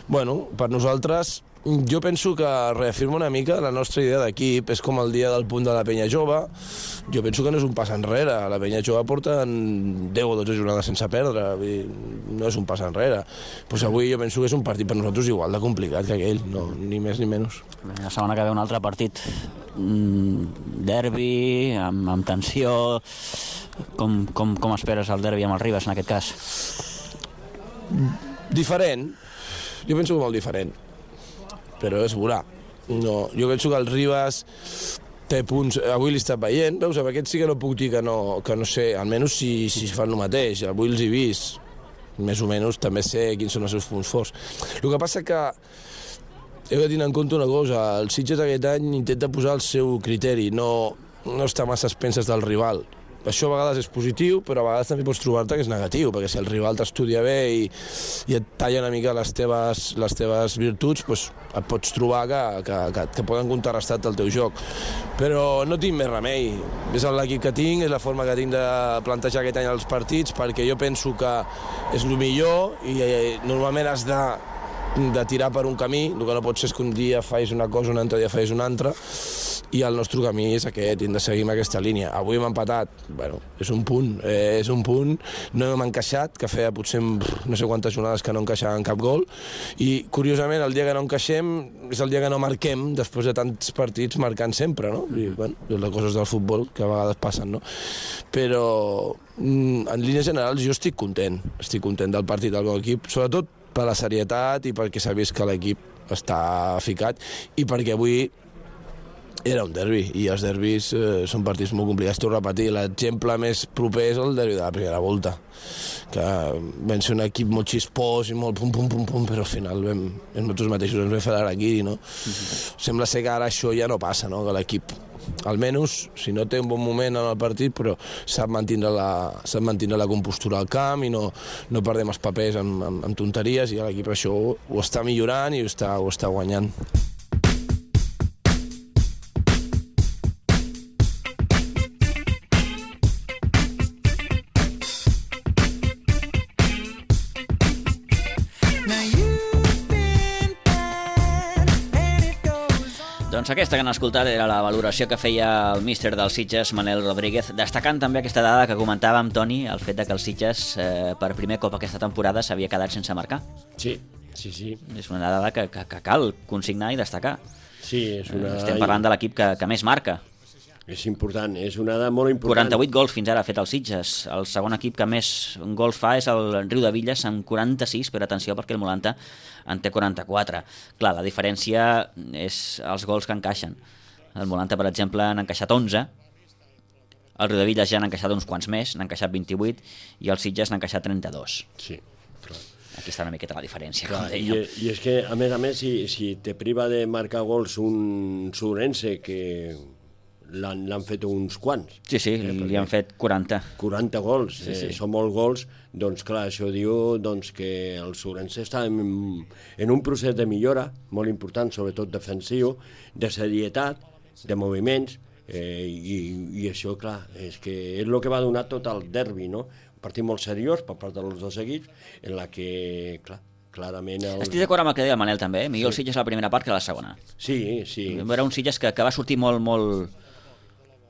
bueno, per nosaltres jo penso que reafirma una mica la nostra idea d'equip, és com el dia del punt de la penya jove, jo penso que no és un pas enrere, la penya jove porta deu o dotze jornades sense perdre, no és un pas enrere. Pues avui jo penso que és un partit per nosaltres igual de complicat que aquell, no, ni més ni menys. La setmana que ve un altre partit, derbi, amb, amb tensió, com, com, com esperes el derbi amb el Ribas en aquest cas? Diferent, jo penso que molt diferent. Però és veurà. No, jo penso que el Ribas té punts... Avui l'he estat veient, veus, amb aquest sí que no puc dir que no, que no sé, almenys si, si fan el mateix. Avui els he vist, més o menys també sé quins són els seus punts forts. El que passa que heu de tenir en compte una cosa, el Sitges aquest any intenta posar el seu criteri, no, no està massa a expenses del rival. Això a vegades és positiu, però a vegades també pots trobar-te que és negatiu, perquè si el rival t'estudia bé i, i et talla una mica les teves, les teves virtuts, doncs et pots trobar que, que, que, que poden contrarrestar el teu joc. Però no tinc més remei. És l'equip que tinc, és la forma que tinc de plantejar aquest any els partits, perquè jo penso que és el millor i eh, normalment has de, de tirar per un camí, el que no pot ser és que un dia facis una cosa, un altre dia facis una altra, i el nostre camí és aquest, hem de seguir amb aquesta línia. Avui hem empatat, bueno, és un punt, eh, és un punt, no hem encaixat, que feia potser no sé quantes jornades que no encaixaven cap gol, i curiosament el dia que no encaixem és el dia que no marquem, després de tants partits marcant sempre, no? I, bueno, les coses del futbol que a vegades passen, no? Però en línies generals jo estic content, estic content del partit del meu equip, sobretot per la serietat i perquè s'ha vist que l'equip està ficat i perquè avui era un derbi, i els derbis eh, són partits molt complicats. T'ho repetir, l'exemple més proper és el derbi de la primera volta, que vam ser un equip molt xispós i molt pum, pum, pum, pum, però al final vam, nosaltres mateixos ens vam fer l'araquiri, no? Uh-huh. Sembla ser que ara això ja no passa, no? Que l'equip, almenys, si no té un bon moment en el partit, però sap mantindre la, sap mantindre la compostura al camp i no, no perdem els papers amb, amb, amb tonteries, i l'equip això ho, ho està millorant i ho està, ho està guanyant. Doncs aquesta que han escoltat era la valoració que feia el míster del Sitges, Manel Rodríguez, destacant també aquesta dada que comentàvem, Toni, el fet de que el Sitges eh, per primer cop aquesta temporada s'havia quedat sense marcar. Sí, sí, sí. És una dada que, que, que cal consignar i destacar. Sí, és una... Estem parlant de l'equip que, que més marca. És important, és una dada molt important. quaranta-vuit gols fins ara ha fet el Sitges. El segon equip que més gols fa és el Riu de Villes amb quaranta-sis, però atenció perquè el Molanta en té quaranta-quatre. Clar, la diferència és els gols que encaixen. El Molanta, per exemple, n'ha encaixat onze, el Riu de Villes ja n'ha encaixat uns quants més, n'ha encaixat vint-i-vuit, i el Sitges n'ha encaixat trenta-dos. Sí, clar. Aquí està una miqueta la diferència, clar, com dèiem. I, I és que, a més a més, si, si te priva de marcar gols un Sobrense que... l'han fet uns quants. Sí, sí, eh, li han fet quaranta. quaranta gols, sí, sí. Eh, són molts gols, doncs clar, això diu doncs, que el Sobrense està en, en un procés de millora molt important, sobretot defensiu, de serietat, de moviments, eh, i, i això, clar, és que és el que va donar tot el derbi, no? Un partit molt seriós per part dels dos equips, en la que, clar, clarament... El... Estic d'acord amb el que deia el Manel també, eh? Millor sí. El Sitges la primera part que la segona. Sí, sí. Era un Sitges que, que va sortir molt, molt...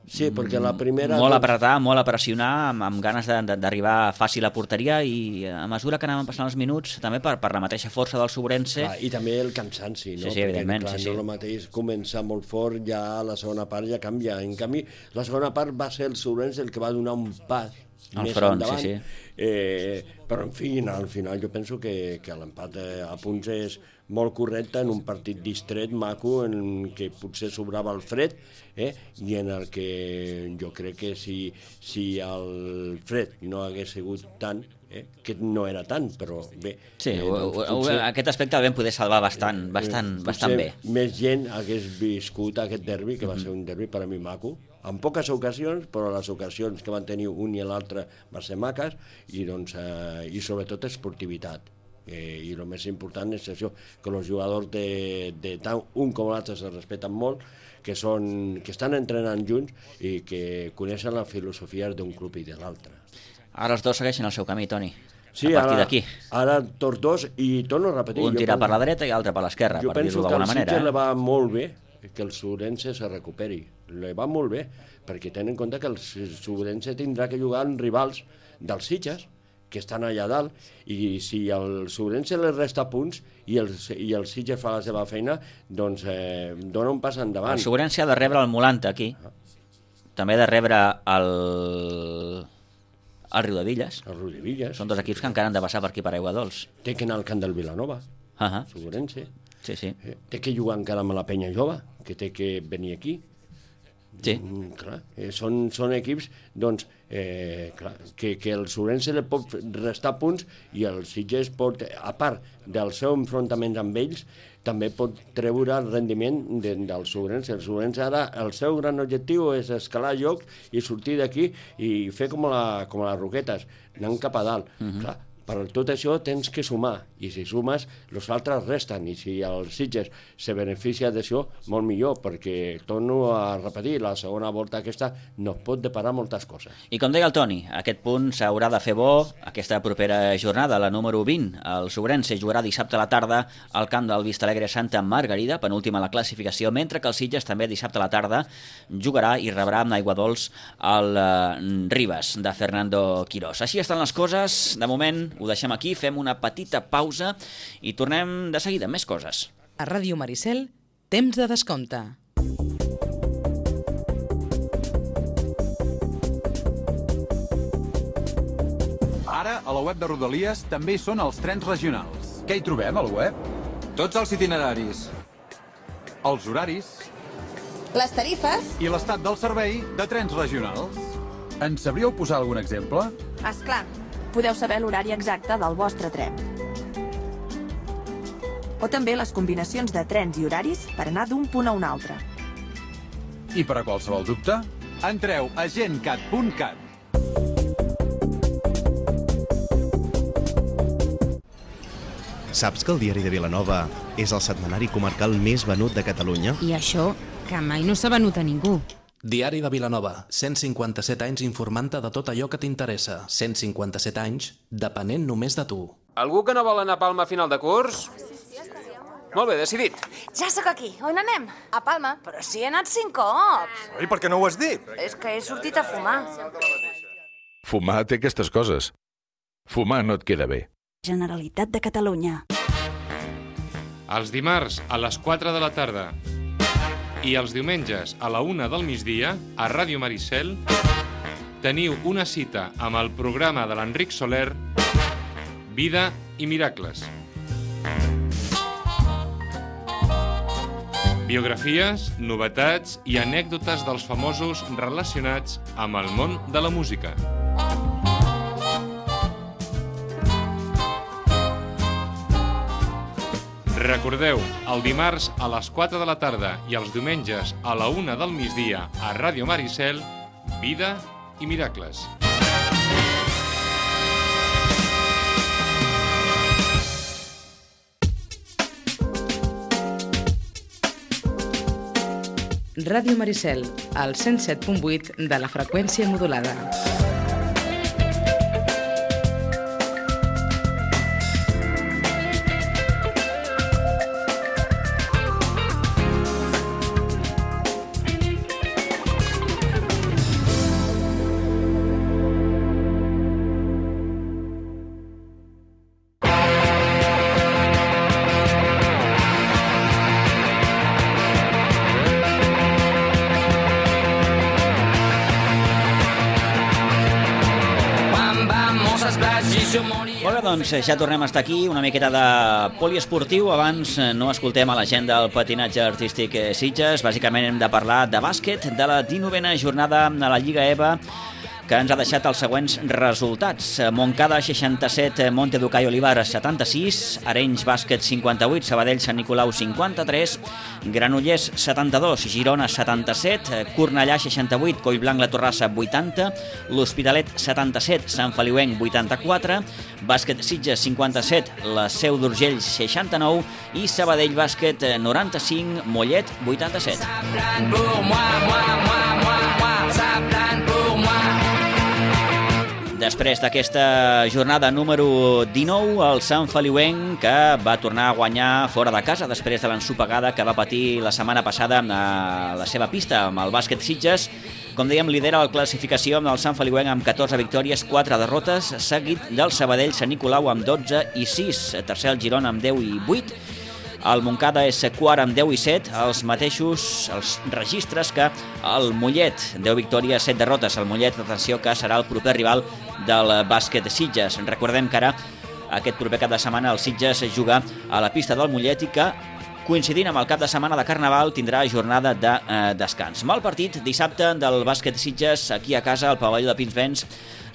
Sí, perquè la primera... Molt a apretar, molt a pressionar, amb, amb ganes d'arribar fàcil a porteria, i a mesura que anaven passant els minuts, també per, per la mateixa força del Sobrense... Clar, i també el cansanci, no? Sí, sí, evidentment. Perquè, clar, sí, sí. no el mateix començar molt fort, ja la segona part ja canvia. En canvi, la segona part va ser el Sobrense el que va donar un pas Al més front, endavant. sí, sí. Eh, però, en fi, al final jo penso que, que l'empat a punts és molt correcte en un partit distret, maco, en què potser sobrava el fred, eh? I en el que jo crec que si, si el fred no hagués sigut tant, eh? que no era tant, però bé... Sí, eh, doncs, potser, aquest aspecte el vam poder salvar bastant, bastant, eh, bastant bé. Més gent hagués viscut aquest derbi, que va ser un derbi per a mi maco, en poques ocasions, però les ocasions que van tenir un i l'altre van ser maques, i, doncs, eh, i sobretot esportivitat. Eh, I el més important és això, que els jugadors de, de tant un com l'altre se respecten molt, que, són, que estan entrenant junts i que coneixen la filosofia d'un club i de l'altre. Ara els dos segueixen el seu camí, Toni. Sí, a partir ara, d'aquí. Ara tots dos, i torno a repetir... Un tira per la dreta i l'altre per l'esquerra, per dir-ho d'alguna manera. Jo penso que al Sitges le va molt bé que el Surense se recuperi. Le va molt bé, perquè tenen en compte que el Surense tindrà que jugar amb rivals dels Sitges, que estan allà dalt, i si el Surense li resta punts i el, i el Sitges fa la seva feina, doncs eh, dona un pas endavant. El Surense ha de rebre el Molanta aquí, també ha de rebre el... el Riudevilles. El Riudevilles. Són dos equips que encara han de passar per aquí per Aigua Dols. Té que anar al camp del Vilanova, uh -huh. Surense. Sí, sí. Eh, té que jugar encara amb la Penya Jove, que té que venir aquí. Sí. Mm, clar, eh, són, són equips doncs, eh, clar, que, que el Surense li pot restar punts i el Sitges pot, a part del seu enfrontament amb ells, també pot treure el rendiment de, del Surense. El Surense ara, el seu gran objectiu és escalar llocs i sortir d'aquí i fer com, la, com les Roquetes, anant cap a dalt. Uh-huh. Clar, per tot això tens que sumar, i si sumes, els altres resten, i si el Sitges se beneficia d'això, molt millor, perquè torno a repetir, la segona volta aquesta no pot deparar moltes coses. I com deia el Toni, aquest punt s'haurà de fer bo aquesta propera jornada, la número vint. El Sobrense jugarà dissabte a la tarda al camp del Vistalegre Santa Margarida, penúltima a la classificació, mentre que el Sitges també dissabte a la tarda jugarà i rebrà amb Aigua Dols el uh, Ribes de Fernando Quirós. Així estan les coses, de moment ho deixem aquí, fem una petita pausa i tornem de seguida amb més coses. A Ràdio Maricel, temps de descompte. Ara, a la web de Rodalies també hi són els trens regionals. Què hi trobem, al web? Tots els itineraris, els horaris... les tarifes... i l'estat del servei de trens regionals. Ens sabríeu posar algun exemple? Esclar. Podeu saber l'horari exacte del vostre tren. O també les combinacions de trens i horaris per anar d'un punt a un altre. I per a qualsevol dubte, entreu a gencat punt cat. Saps que el Diari de Vilanova és el setmanari comarcal més venut de Catalunya? I això, que mai no s'ha venut a ningú. Diari de Vilanova, cent cinquanta-set anys informant-te de tot allò que t'interessa. cent cinquanta-set anys, depenent només de tu. Algú que no vol anar a Palma a final de curs? Molt bé, decidit. Ja sóc aquí. On anem? A Palma. Però si he anat cinc cops. I per què no ho has dit? És que he sortit a fumar. Fumar té aquestes coses. Fumar no et queda bé. Generalitat de Catalunya. Els dimarts a les quatre de la tarda i els diumenges a la una del migdia, a Ràdio Maricel, teniu una cita amb el programa de l'Enric Soler, Vida i Miracles. Biografies, novetats i anècdotes dels famosos relacionats amb el món de la música. Recordeu, el dimarts a les quatre de la tarda i els diumenges a la una del migdia a Ràdio Maricel, Vida i Miracles. Ràdio Maricel, al cent set punt vuit de la freqüència modulada. Molt bé, doncs ja tornem a estar aquí, una miqueta de poliesportiu. Abans no escoltem a la gent del patinatge artístic Sitges. Bàsicament hem de parlar de bàsquet, de la dinovena jornada a la Lliga E V A, que ens ha deixat els següents resultats. Montcada seixanta-set, Monteducai Olivar setanta-sis, Arenys Bàsquet cinquanta-vuit, Sabadell Sant Nicolau cinquanta-tres, Granollers setanta-dos, Girona setanta-set, Cornellà seixanta-vuit, Collblanc La Torrassa vuitanta, l'Hospitalet setanta-set, Sant Feliuenc vuitanta-quatre, Bàsquet Sitges cinquanta-set, la Seu d'Urgell seixanta-nou i Sabadell Bàsquet noranta-cinc, Mollet vuitanta-set. Després d'aquesta jornada número dinou, el Sant Feliuenc, que va tornar a guanyar fora de casa després de l'ensopegada que va patir la setmana passada a la seva pista amb el bàsquet Sitges. Com dèiem, lidera la classificació amb el Sant Feliuenc amb catorze victòries, quatre derrotes, seguit del Sabadell Sant Nicolau amb dotze i sis, tercer el Girona amb deu i vuit, el Montcada és quart amb deu i set, els mateixos els registres que el Mollet, deu victòries, set derrotes. El Mollet, atenció, que serà el proper rival del bàsquet Sitges. Recordem que ara, aquest proper cap de setmana, el Sitges juga a la pista del Mollet i que, coincidint amb el cap de setmana de Carnaval, tindrà jornada de eh, descans. Mal partit dissabte del bàsquet Sitges aquí a casa, al pavelló de Pinsbens,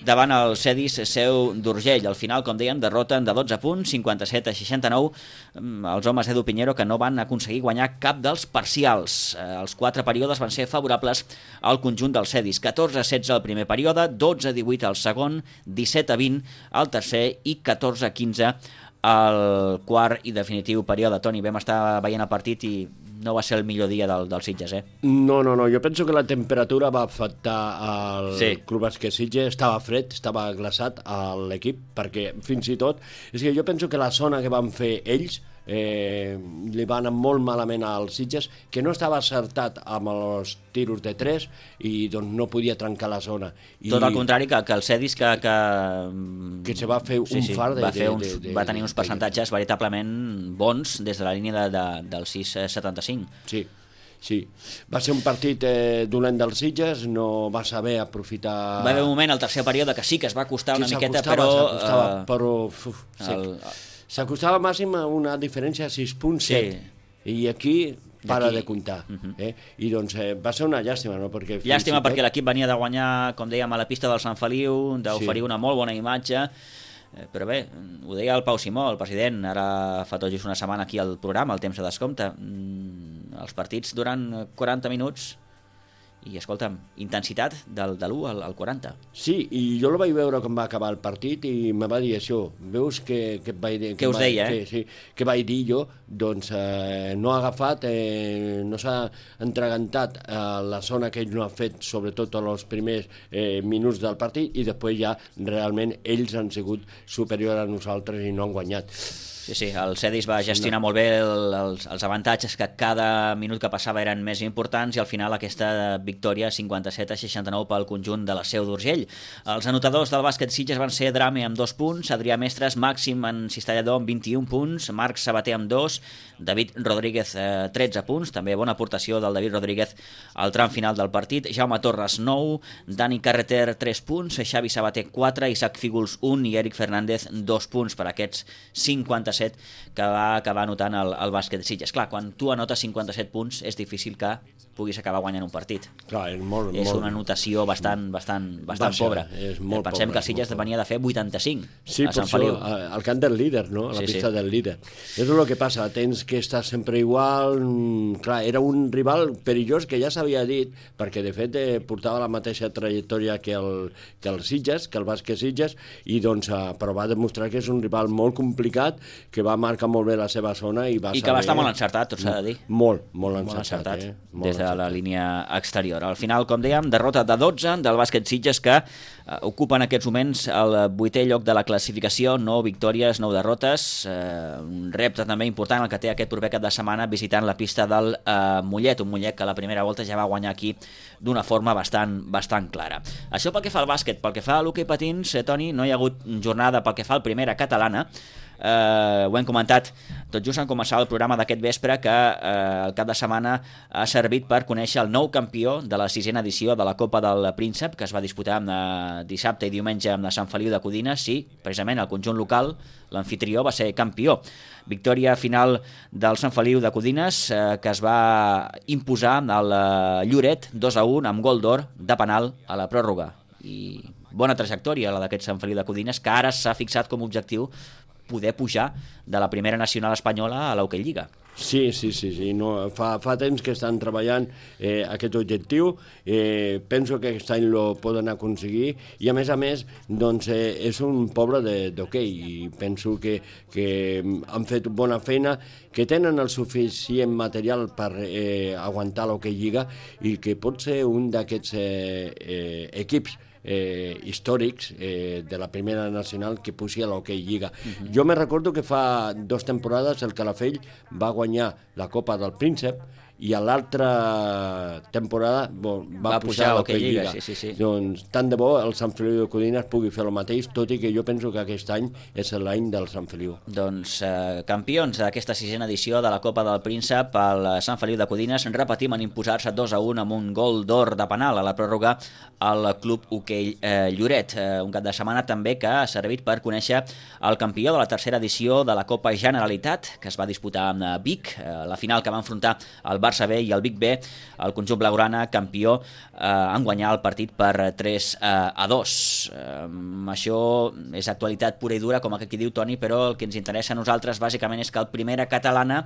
davant el Cedis Seu d'Urgell. Al final, com dèiem, derroten de dotze punts, cinquanta-set a seixanta-nou, els homes d'Edu Pinheiro, que no van aconseguir guanyar cap dels parcials. Els quatre períodes van ser favorables al conjunt del Cedis. catorze a setze al primer període, dotze a divuit al segon, disset a vint al tercer i catorze a quinze al quart i definitiu període. Toni, vam estar veient el partit i no va ser el millor dia del, del Sitges, eh? No, no, no. Jo penso que la temperatura va afectar al sí. Club Bàsquet Sitges. Estava fred, estava glaçat a l'equip, perquè fins i tot... És que jo penso que la zona que van fer ells eh, li va anar molt malament als Sitges, que no estava acertat amb els tiros de tres i doncs no podia trencar la zona. I... Tot al contrari que, que el Cedis, que, que... que se va fer un sí, sí, far de... Va, fer uns, de, de, va tenir uns percentatges de... veritablement bons des de la línia de, de, del sis setanta-cinc. Sí. Sí, va ser un partit eh, dolent dels Sitges, no va saber aprofitar... Va haver un moment al tercer període que sí que es va costar una sí, miqueta, però... S'acostava, uh, però... Uf, el... S'acostava màxim a una diferència de sis punt set. Sí. I aquí para de comptar. Uh -huh. eh? I doncs eh, va ser una llàstima, no? Perquè llàstima tot... perquè l'equip venia de guanyar, com dèiem, a la pista del Sant Feliu, d'oferir sí. una molt bona imatge, eh, però bé, ho deia el Pau Simó, el president, ara fa tot just una setmana aquí al programa, el temps de descompte. Mm, els partits duran quaranta minuts i, escolta'm, intensitat del, de l'u al, al quaranta. Sí, i jo el vaig veure quan va acabar el partit i me va dir això. Veus que, que vaig dir... Què us deia, que, eh? Sí, que vaig dir jo, doncs eh, no ha agafat, eh, no s'ha entregantat a la zona que ell no ha fet, sobretot els primers eh, minuts del partit, i després ja realment ells han sigut superiors a nosaltres i no han guanyat. Sí, sí, el Cedis va gestionar molt bé el, els, els avantatges, que cada minut que passava eren més importants, i al final aquesta victòria cinquanta-set a seixanta-nou pel conjunt de la Seu d'Urgell. Els anotadors del bàsquet Sitges van ser Drame amb dos punts, Adrià Mestres, Màxim en cistellador amb vint-i-un punts, Marc Sabater amb dos, David Rodríguez eh, tretze punts, també bona aportació del David Rodríguez al tram final del partit, Jaume Torres nou, Dani Carreter tres punts, Xavi Sabater quatre, Isaac Fígols un i Eric Fernández dos punts per aquests cinquanta-set que va acabar anotant el, el bàsquet de Sitges. Clar, quan tu anotes cinquanta-set punts és difícil que puguis acabar guanyant un partit. Clar, és molt, és molt... una anotació bastant, bastant, bastant Baixa, pobra. És molt Pensem pobra, que el Sitges venia de fer vuitanta-cinc sí, a Sant Feliu. Sí, al camp del líder, no? A la sí, pista sí. del líder. És el que passa, tens que estar sempre igual. Clar, era un rival perillós que ja s'havia dit, perquè de fet eh, portava la mateixa trajectòria que el, que el Sitges, que el bàsquet Sitges, i doncs eh, però va demostrar que és un rival molt complicat, que va marcar molt bé la seva zona i va I saber... que va estar molt encertat, tot s'ha de dir. Molt, molt encertat. Molt encertat, eh? Molt des de encertat. La línia exterior. Al final, com dèiem, derrota de dotze del bàsquet Sitges, que eh, ocupa en aquests moments el vuitè lloc de la classificació, nou victòries, nou derrotes, eh, un repte també important el que té aquest proper cap de setmana visitant la pista del eh, Mollet, un Mollet que a la primera volta ja va guanyar aquí d'una forma bastant, bastant clara. Això pel que fa al bàsquet. Pel que fa a l'hoquei patins, eh, Toni, no hi ha hagut jornada pel que fa al primera catalana. eh, ho hem comentat tot just en començar el programa d'aquest vespre, que eh, el cap de setmana ha servit per conèixer el nou campió de la sisena edició de la Copa del Príncep, que es va disputar eh, dissabte i diumenge amb la Sant Feliu de Codines. Sí, precisament el conjunt local, l'anfitrió, va ser campió. Victòria final del Sant Feliu de Codines, eh, que es va imposar al eh, Lloret dos a un amb gol d'or de penal a la pròrroga. I bona trajectòria la d'aquest Sant Feliu de Codines, que ara s'ha fixat com a objectiu poder pujar de la primera nacional espanyola a l'Hockey Lliga. Sí, sí, sí, sí. No, fa, fa temps que estan treballant eh, aquest objectiu, eh, penso que aquest any lo poden aconseguir i a més a més doncs, eh, és un poble d'hoquei i penso que, que han fet bona feina, que tenen el suficient material per eh, aguantar l'Hockey Lliga i que pot ser un d'aquests eh, eh, equips Eh, històrics eh, de la primera nacional que pugi a l'Hockey Lliga. Uh-huh. Jo me recordo que fa dues temporades el Calafell va guanyar la Copa del Príncep i a l'altra temporada bo, va, va pujar a l'Hockey Lliga. Sí, sí, sí. Doncs tant de bo el Sant Feliu de Codines pugui fer el mateix, tot i que jo penso que aquest any és l'any del Sant Feliu. Doncs eh, campions d'aquesta sisena edició de la Copa del Príncep, el Sant Feliu de Codines, repetim en imposar-se dos a un amb un gol d'or de penal a la pròrroga al Club Hoquei eh, Lloret. Eh, un cap de setmana també que ha servit per conèixer el campió de la tercera edició de la Copa Generalitat, que es va disputar amb Vic, eh, la final que va enfrontar el Barça B i el Vic B, el conjunt blaugrana, campió, eh, en guanyar el partit per tres a dos. Eh, això és actualitat pura i dura, com aquí diu Toni, però el que ens interessa a nosaltres bàsicament és que el Primera Catalana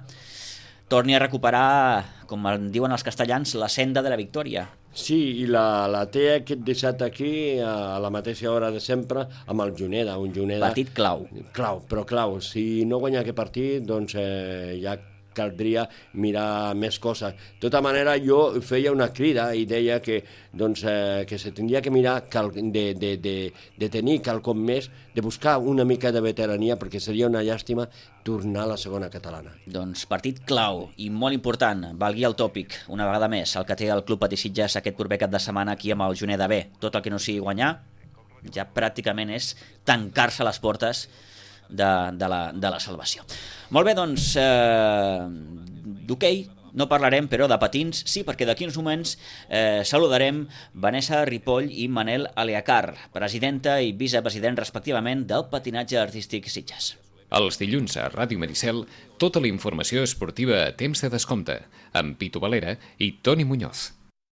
torni a recuperar, com en diuen els castellans, la senda de la victòria. Sí, i la, la té aquest dissabte aquí a la mateixa hora de sempre amb el Juneda, un Juneda... Partit clau. Clau, però clau. Si no guanya aquest partit, doncs eh, ja caldria mirar més coses. De tota manera, jo feia una crida i deia que, doncs, eh, que se tindria que mirar cal, de, de, de, de tenir quelcom més, de buscar una mica de veterania, perquè seria una llàstima tornar a la segona catalana. Doncs partit clau i molt important, valgui el tòpic, una vegada més, el que té el Club Patí Sitges aquest proper cap de setmana aquí amb el Juneda B. Tot el que no sigui guanyar ja pràcticament és tancar-se les portes de, de, la, de la salvació. Molt bé, doncs, eh, d'hoquei no parlarem, però de patins sí, perquè d'aquí uns moments eh, saludarem Vanessa Ripoll i Manel Aleacar, presidenta i vicepresident respectivament del patinatge artístic Sitges. Els dilluns a Ràdio Maricel, tota la informació esportiva a temps de descompte, amb Pitu Valera i Toni Muñoz.